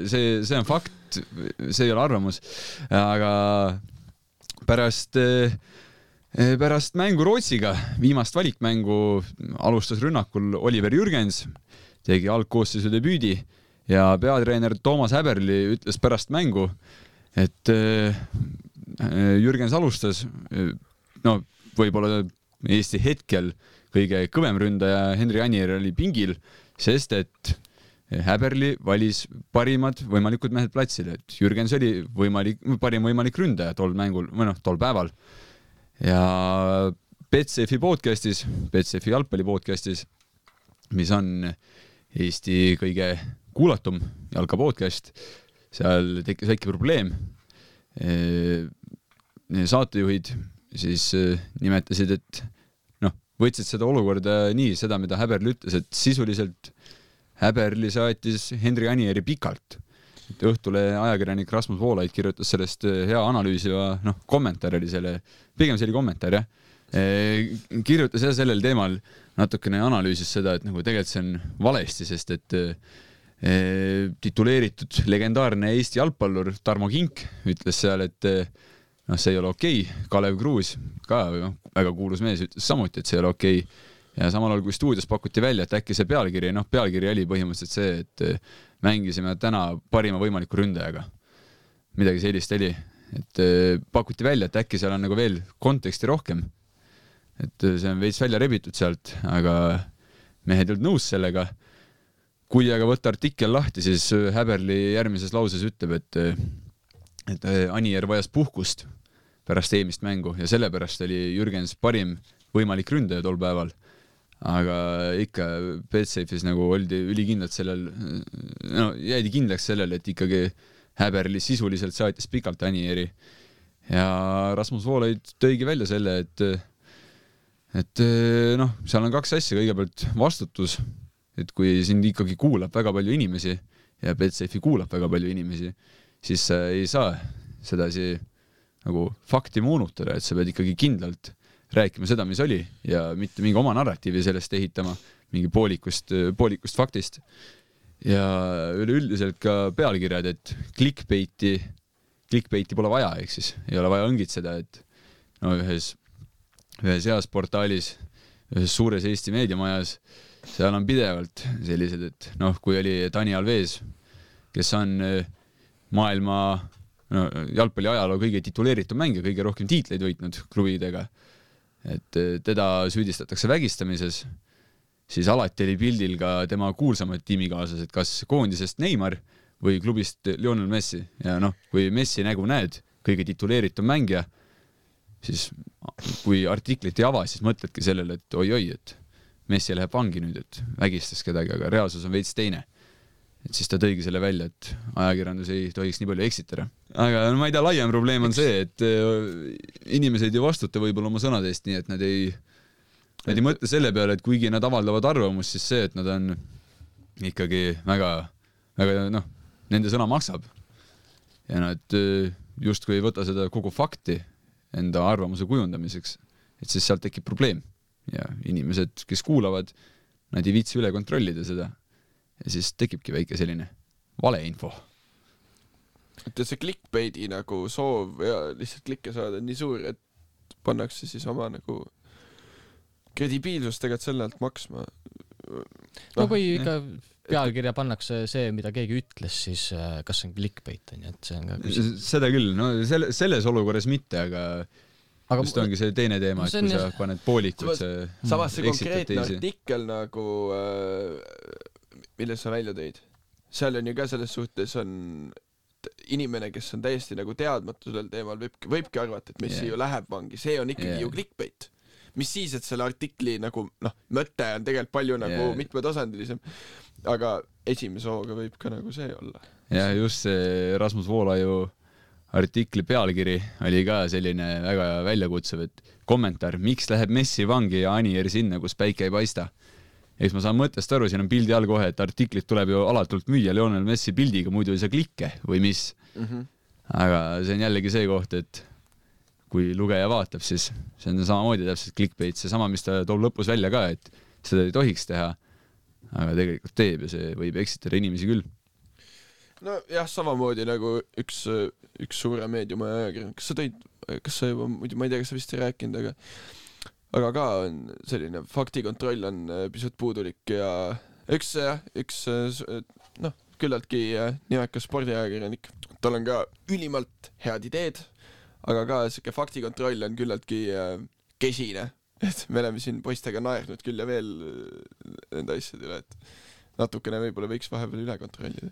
see, see on fakt, see ei ole arvamus. Aga pärast, pärast mängu Rootsiga, viimast valikmängu alustas rünnakul Oliver Jürgens, tegi algkoosseisu debüüdi ja peatreener Toomas Häberli ütles pärast mängu, et Jürgens alustas, no võib-olla Eesti hetkel kõige kõvem ründaja Henri Anier oli pingil, sest et Häberli valis parimad võimalikud mehed platsile, et Jürgens oli võimalik, parim võimalik ründaja tol mängul, või noh, tol päeval. Ja Betsafe podcastis, Betsafe jalgpalli podcastis, mis on Eesti kõige kuulatum jalkapodcast, seal tekkis väike probleem. Saatejuhid siis nimetasid, et noh, võtsid seda olukorda nii, seda, mida Häberli ütles, et sisuliselt Häberli saatis Henri Anieri pikalt. Et õhtule ajakirjanik Rasmus Voolaid kirjutas sellest hea analüüsiva, noh, kommentaar oli selle, pigem see oli kommentaar, jah. Kirjutas jah sellel teemal natukene analüüsis seda, et nagu tegelikult see on valesti, sest et tituleeritud legendaarne Eesti jalgpallur Tarmo Kink ütles seal, et noh, see ei ole okei. Kalev Kruus, ka no, väga kuulus mees, ütles samuti, et see ei ole okei. Ja samal ajal, kui stuudios pakuti välja, et äkki see pealkiri, noh, pealkiri oli põhimõtteliselt see, et mängisime täna parima võimaliku ründajaga. Midagi sellist oli. Et pakuti välja, et äkki seal on nagu veel konteksti rohkem. Et see on veits välja rebitud sealt, aga mehed ei olnud nõus sellega. Kui aga võtta artikkel lahti, siis Häberli järgmises lauses ütleb, et et Anier vajas puhkust pärast eelmist mängu ja sellepärast oli Jürgens parim võimalik ründaja tol päeval. Aga ikka Betsafe'is nagu oldi ülikindlalt sellel, no jäidi kindlaks sellel, et ikkagi Häberli sisuliselt saatis pikalt Anieri. Ja Rasmus Voolaid tõigi välja selle, et et noh, seal on kaks asja, kõigepealt vastutus, et kui sind ikkagi kuulab väga palju inimesi ja Betsafe kuulab väga palju inimesi, siis ei saa sedasi nagu fakti moonutada, et sa pead ikkagi kindlalt rääkima seda, mis oli ja mitte mingi oma narratiivi sellest ehitama, mingi poolikust, poolikust faktist. Ja üleüldiselt ka pealkirjad, et clickbaiti, clickbaiti pole vaja, ehk siis ei ole vaja õngitseda, et no ühes, ühes heas portaalis, ühes suures Eesti meediamajas, seal on pidevalt sellised, et noh, kui oli Tani Alves, kes on maailma no, jalgpalli ajaloo kõige tituleeritud mängija, kõige rohkem tiitleid võitnud klubidega, et teda süüdistatakse vägistamises, siis alati oli pildil ka tema kuulsamad tiimikaaslased, kas koondisest Neymar või klubist Lionel Messi. Ja noh, kui Messi nägu näed, kõige tituleeritud mängija, siis kui artiklit ei ava, siis mõtledki sellele, et oi-oi, et Messi läheb vangi nüüd, et vägistas kedagi, aga reaalsus on veits teine. Et siis ta tõigi selle välja, et ajakirjandus ei tohiks nii palju eksitada. Aga no, ma ei tea, laiem probleem on see, et inimesed ei vastuta võib-olla oma sõnadest nii, et nad ei, nad ei mõtle selle peale, et kuigi nad avaldavad arvamust, siis see, et nad on ikkagi väga, väga noh, nende sõna maksab. Ja nad just kui ei võta seda kogu fakti enda arvamuse kujundamiseks, et siis sealt tekib probleem ja inimesed, kes kuulavad, nad ei viitsi üle kontrollida seda ja siis tekibki väike selline valeinfo. et see clickbaiti nagu soov ja lihtsalt klikke saada on nii suur, et pannakse siis oma nagu kredibiilsust tegelikult selle alt maksma. No kui ikka pealkirja pannakse see, mida keegi ütles, siis kas see on clickbait on, et see on ka küsimus. Seda küll, no selle, selles olukorras mitte, aga, aga just ongi see teine teema, et kui sa paned poolikud see samas see konkreetne artikkel nagu milles sa välja tõid, seal on ju ka selles suhtes on inimene, kes on täiesti nagu teadmatu sellel teemal, võibki, võibki arvata, et Messi yeah. ju läheb vangi, see on ikkagi yeah. ju clickbait. Mis siis, et selle artikli nagu, noh, mõte on tegelikult palju nagu yeah. mitmetasandilisem, aga esimese hooga võib ka nagu see olla. Ja just see Rasmus Voolaju artikli pealkiri oli ka selline väga väljakutsuv, et kommentaar, miks läheb Messi vangi ja Anier sinna, kus päike ei paista. Eks ma saan mõttest aru, siin on pildi all kohe, et artiklit tuleb ju alatult müüa Lionel Messi pildiga, muidu ei saa klikke või mis. Mm-hmm. Aga see on jällegi see koht, et kui lugeja vaatab, siis see on samamoodi täpselt clickbait, see sama, mis ta toob lõpus välja ka, et seda ei tohiks teha, aga tegelikult teeb ja see võib eksitada inimesi küll. No jah, samamoodi nagu üks, üks suure meediuma ajakirjand, kas sa tõid, kas sa juba, ma ei tea, kas sa vist ei rääkinud, aga aga ka on selline faktikontroll on pisut puudulik ja üks, üks noh, küllaltki nimekas spordiajakirjanik, tal on ka ülimalt head ideed, aga ka siuke faktikontroll on küllaltki kesine, et me oleme siin poistega naernud küll ja veel nende asjade üle, et natukene võib-olla võiks vahepeal üle kontrollida.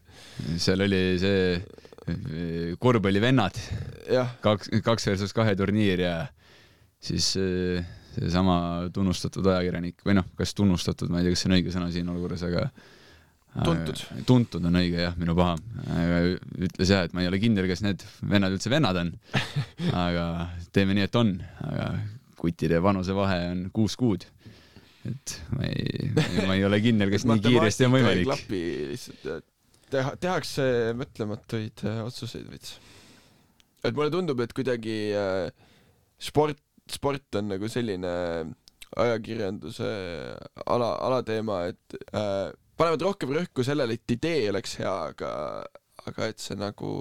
Seal oli see korvpallivennad, kaks, kaks versus kahe turniir ja siis see sama tunnustatud ajakirjanik või noh, kas tunnustatud, ma ei tea, kas see on õige sõna siin olukorras, aga tuntud. Tuntud on õige, jah, minu paha. Aga ütles jah, et ma ei ole kindel, kas need vennad üldse vennad on, aga teeme nii, et on, aga kutide vanuse vahe on kuus kuud. Et ma ei, ma ei ole kindel, kas nii kiiresti on võimalik. Klapi lihtsalt, teha, tehakse mõtlematuid otsuseid võits. Et mulle tundub, et kuidagi sport sport on nagu selline ajakirjanduse ala, alateema, et äh, panevad rohkem rõhku sellele, et idee oleks hea, aga, aga et see nagu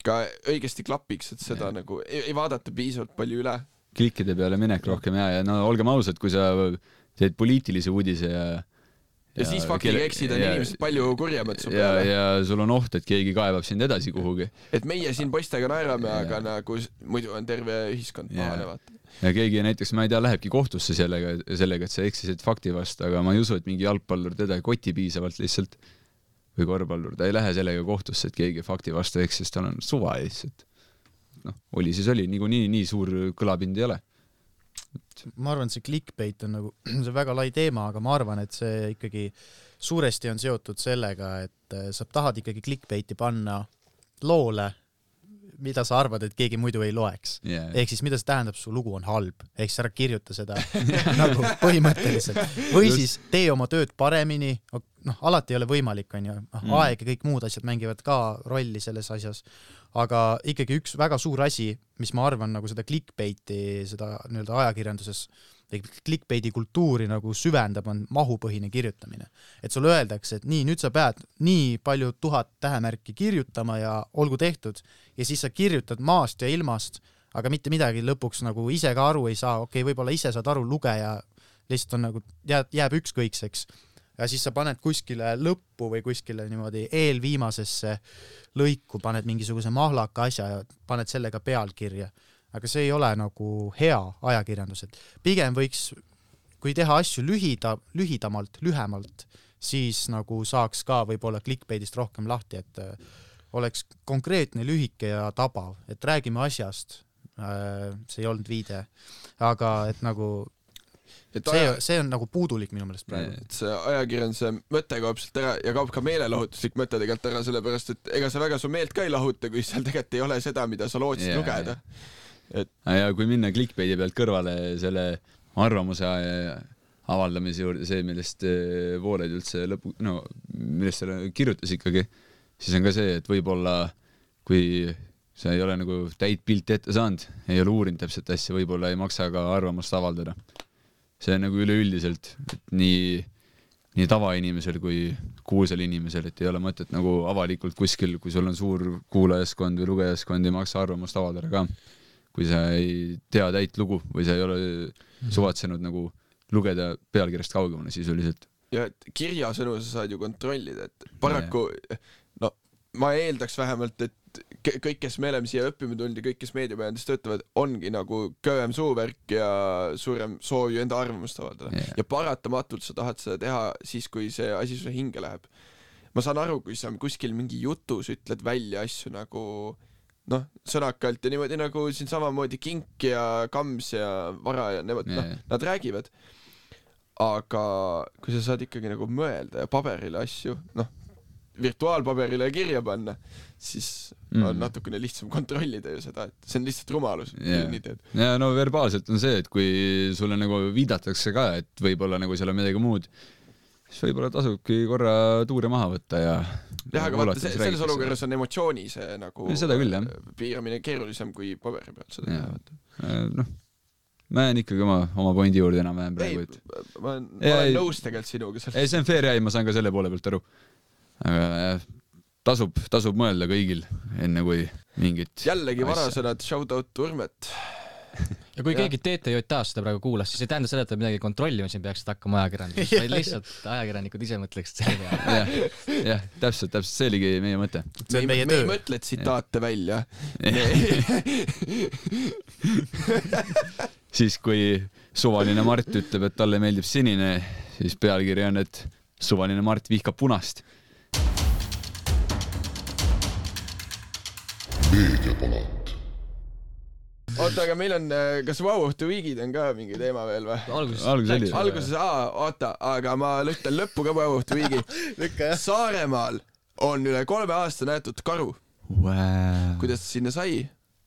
ka õigesti klapiks, et seda yeah. nagu ei, ei vaadata piisavalt palju üle. Klikkide peale minek rohkem ja, ja no olgem ausad, kui sa teed poliitilise uudise ja ja, ja siis faktiga eksid on ja, inimesed palju kurjemad su peale. Ja, ja sul on oht, et keegi kaevab sind edasi kuhugi. Et meie siin poistega naerame, ja. Aga nagu muidu on terve ühiskond pahane vaata. Ja keegi näiteks, ma ei tea, lähebki kohtusse sellega, sellega, et sa eksisid fakti vastu, aga ma ei usu, et mingi jalgpallur teda ei koti piisavalt lihtsalt või korvpallur, ta ei lähe sellega kohtusse, et keegi fakti vastu eksis, tal on suva lihtsalt. Noh, oli siis oli, nii, nii, nii suur kõlapind ei ole. Ma arvan, et see clickbait on nagu, see väga lai teema, aga ma arvan, et see ikkagi suuresti on seotud sellega, et sa tahad ikkagi clickbaiti panna loole, mida sa arvad, et keegi muidu ei loeks. Yeah. Ehk siis mida see tähendab, su lugu on halb. Ehk siis ära kirjuta seda nagu põhimõtteliselt. Või Just. siis tee oma tööd paremini. Noh, alati ei ole võimalik, on ju. Mm. Aeg ja kõik muud asjad mängivad ka rolli selles asjas. Aga ikkagi üks väga suur asi, mis ma arvan nagu seda clickbaiti, seda nii-öelda ajakirjanduses, clickbaiti kultuuri nagu süvendab, on mahupõhine kirjutamine. Et sulle öeldakse, et nii, nüüd sa pead nii palju tuhat tähemärki kirjutama ja olgu tehtud. Ja siis sa kirjutad maast ja ilmast, aga mitte midagi lõpuks nagu ise ka aru ei saa. Okei, võib-olla ise saad aru lugeja, lihtsalt on nagu, jääb, jääb ükskõikseks. Ja siis sa paned kuskile lõppu või kuskile niimoodi eelviimasesse lõiku, paned mingisuguse mahlaka asja ja paned sellega pealkirja. Aga see ei ole nagu hea ajakirjandus. Pigem võiks, kui teha asju lühida, lühidamalt, lühemalt, siis nagu saaks ka võib-olla clickbaitist rohkem lahti, et oleks konkreetne, lühike ja tabav. Et räägime asjast, see ei olnud viide, aga et nagu et see, aja... see on nagu puudulik minu meelest praegu. Et see ajakirjanduse mõte kaob sealt ära ja kaob ka meelelahutuslik mõte tegelikult ära, sellepärast et ega sa väga su meelt ka ei lahuta, kui seal tegelikult ei ole seda, mida sa lootsid yeah, lugeda. Et... ja kui minna clickbaiti pealt kõrvale selle arvamuse avaldamise juurde, see, millest Vooled üldse lõpu, no, millest selle kirjutas ikkagi, siis on ka see, et võib-olla kui sa ei ole nagu täit pilti ette saanud, ei ole uurinud täpselt asja, võib-olla ei maksa ka arvamust avaldada. See on nagu üleüldiselt, et nii, nii tavainimesel kui kuulsal inimesel, et ei ole mõtet nagu avalikult kuskil, kui sul on suur kuulajaskond või lugejaskond, ei maksa arvamust avaldada ka. Kui sa ei tea täit lugu või sa ei ole suvatsenud nagu lugeda pealkirjast kaugemale sisuliselt. Ja kirjasõnu sa saad ju kontrollida, et paraku, no ma eeldaks vähemalt, et kõik, kes me oleme siia õppima tulnud ja kõik, kes meediapäevandis töötavad, ongi nagu kõvem suuvärk ja suurem soov ju enda arvamust avaldada. Yeah. Ja paratamatult sa tahad seda teha siis, kui see asi sulle hinge läheb. Ma saan aru, kui sa kuskil mingi jutus ütled välja asju nagu noh, sõnakalt ja niimoodi nagu siin samamoodi Kink ja Kams ja Vara ja nemad, yeah. noh, nad räägivad. Aga kui sa saad ikkagi nagu mõelda ja paberile asju, noh, virtuaalpaberile kirja panna, siis mm. on natukene lihtsam kontrollida ju seda, et see on lihtsalt rumalus. Yeah. Ja no verbaalselt on see, et kui sulle nagu viidatakse ka, et võib-olla nagu seal on midagi muud, siis võib-olla tasubki korra tuure maha võtta ja jah, aga vaata, selles olukorras on emotsiooni see nagu ja seda küll, jah. Piiramine keerulisem kui paberi peal seda teha võtta. Noh, ma jään ikkagi oma, oma pointi juurde enam-vähem praegu. Ei, ma, ma olen nõus tegelikult sinuga. Ei, see on fair ja ma saan ka selle poole pealt aru. Aga jah, tasub, tasub mõelda kõigil enne kui mingit jällegi varasõnad, shout out Urmet. Ja kui ja. keegi T T J A-s seda praegu kuulas, siis ei tähenda seda, et midagi kontrollima siin peaks hakkama ajakirjandus, vaid lihtsalt ajakirjanikud ise mõtleksid selle peale. jah, jah, täpselt, täpselt, see oligi meie mõte. Me, me, me ei mõtle tsitaate välja. Siis kui suvaline Mart ütleb, et talle meeldib sinine, siis pealkiri on, et suvaline Mart vihkab punast. Meediapalat. Oota, aga meil on, kas Wow of the Weekid on ka mingi teema veel või? Alguses, Alguses oli. Alguses, aa, oota, aga ma lühtan lõppu ka Wow of the Weeki. Saaremaal on üle kolme aasta näetud karu. Wow. Kuidas sinna sai?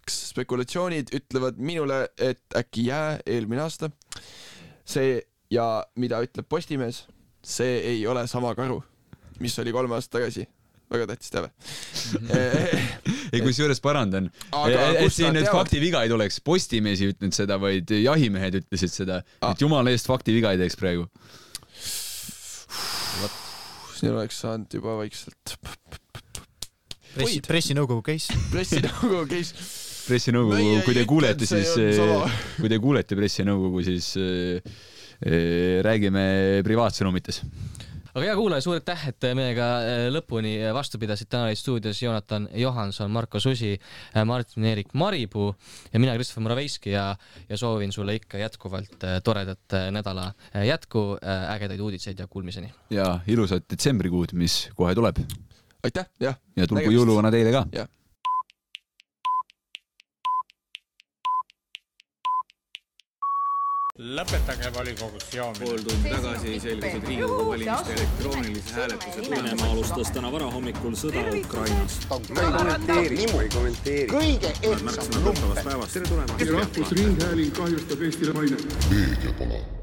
Kas spekulatsioonid ütlevad minule, et äkki jää eelmine aasta. See ja mida ütleb Postimees, see ei ole sama karu, mis oli kolme aasta tagasi. Väga tähtis teave. Ei, kui juures parandan. Et siin nüüd faktiviga ei tuleks. Postimees ei ütlenud seda, vaid jahimehed ütlesid seda. Et jumala eest faktiviga ei teeks praegu. Siin oleks saanud juba vaikselt. Pressi, pressinõukogu case. Pressinõukogu case. Pressinõukogu, kui te kuulete, siis kui te kuulete pressinõukogu, siis räägime privaatsõnumites. Aga hea kuulaja, suur aitäh, et meiega lõpuni vastu pidasid. Täna oli stuudios Jonatan Johanson, Marko Susi, Martin Erik Maripuu ja mina Christopher Moraveiski ja, ja soovin sulle ikka jätkuvalt toredat nädala jätku, ägedaid uudiseid ja kuulmiseni. Ja ilusat detsembrikuud, mis kohe tuleb. Aitäh, jah. Ja tulgu jõuluvana teile ka. Jah. Lõpetage volikogus joomine. Pool tundi tagasi selgusid Riigikogu valimiste elektroonilise hääletuse Venemaa alustas täna varahommikul sõda Ukrainas. Kõige ehtsam lumpen. Tere tulemast. Rahvusringhääling kahjustab Eestile maine. Meediapalat.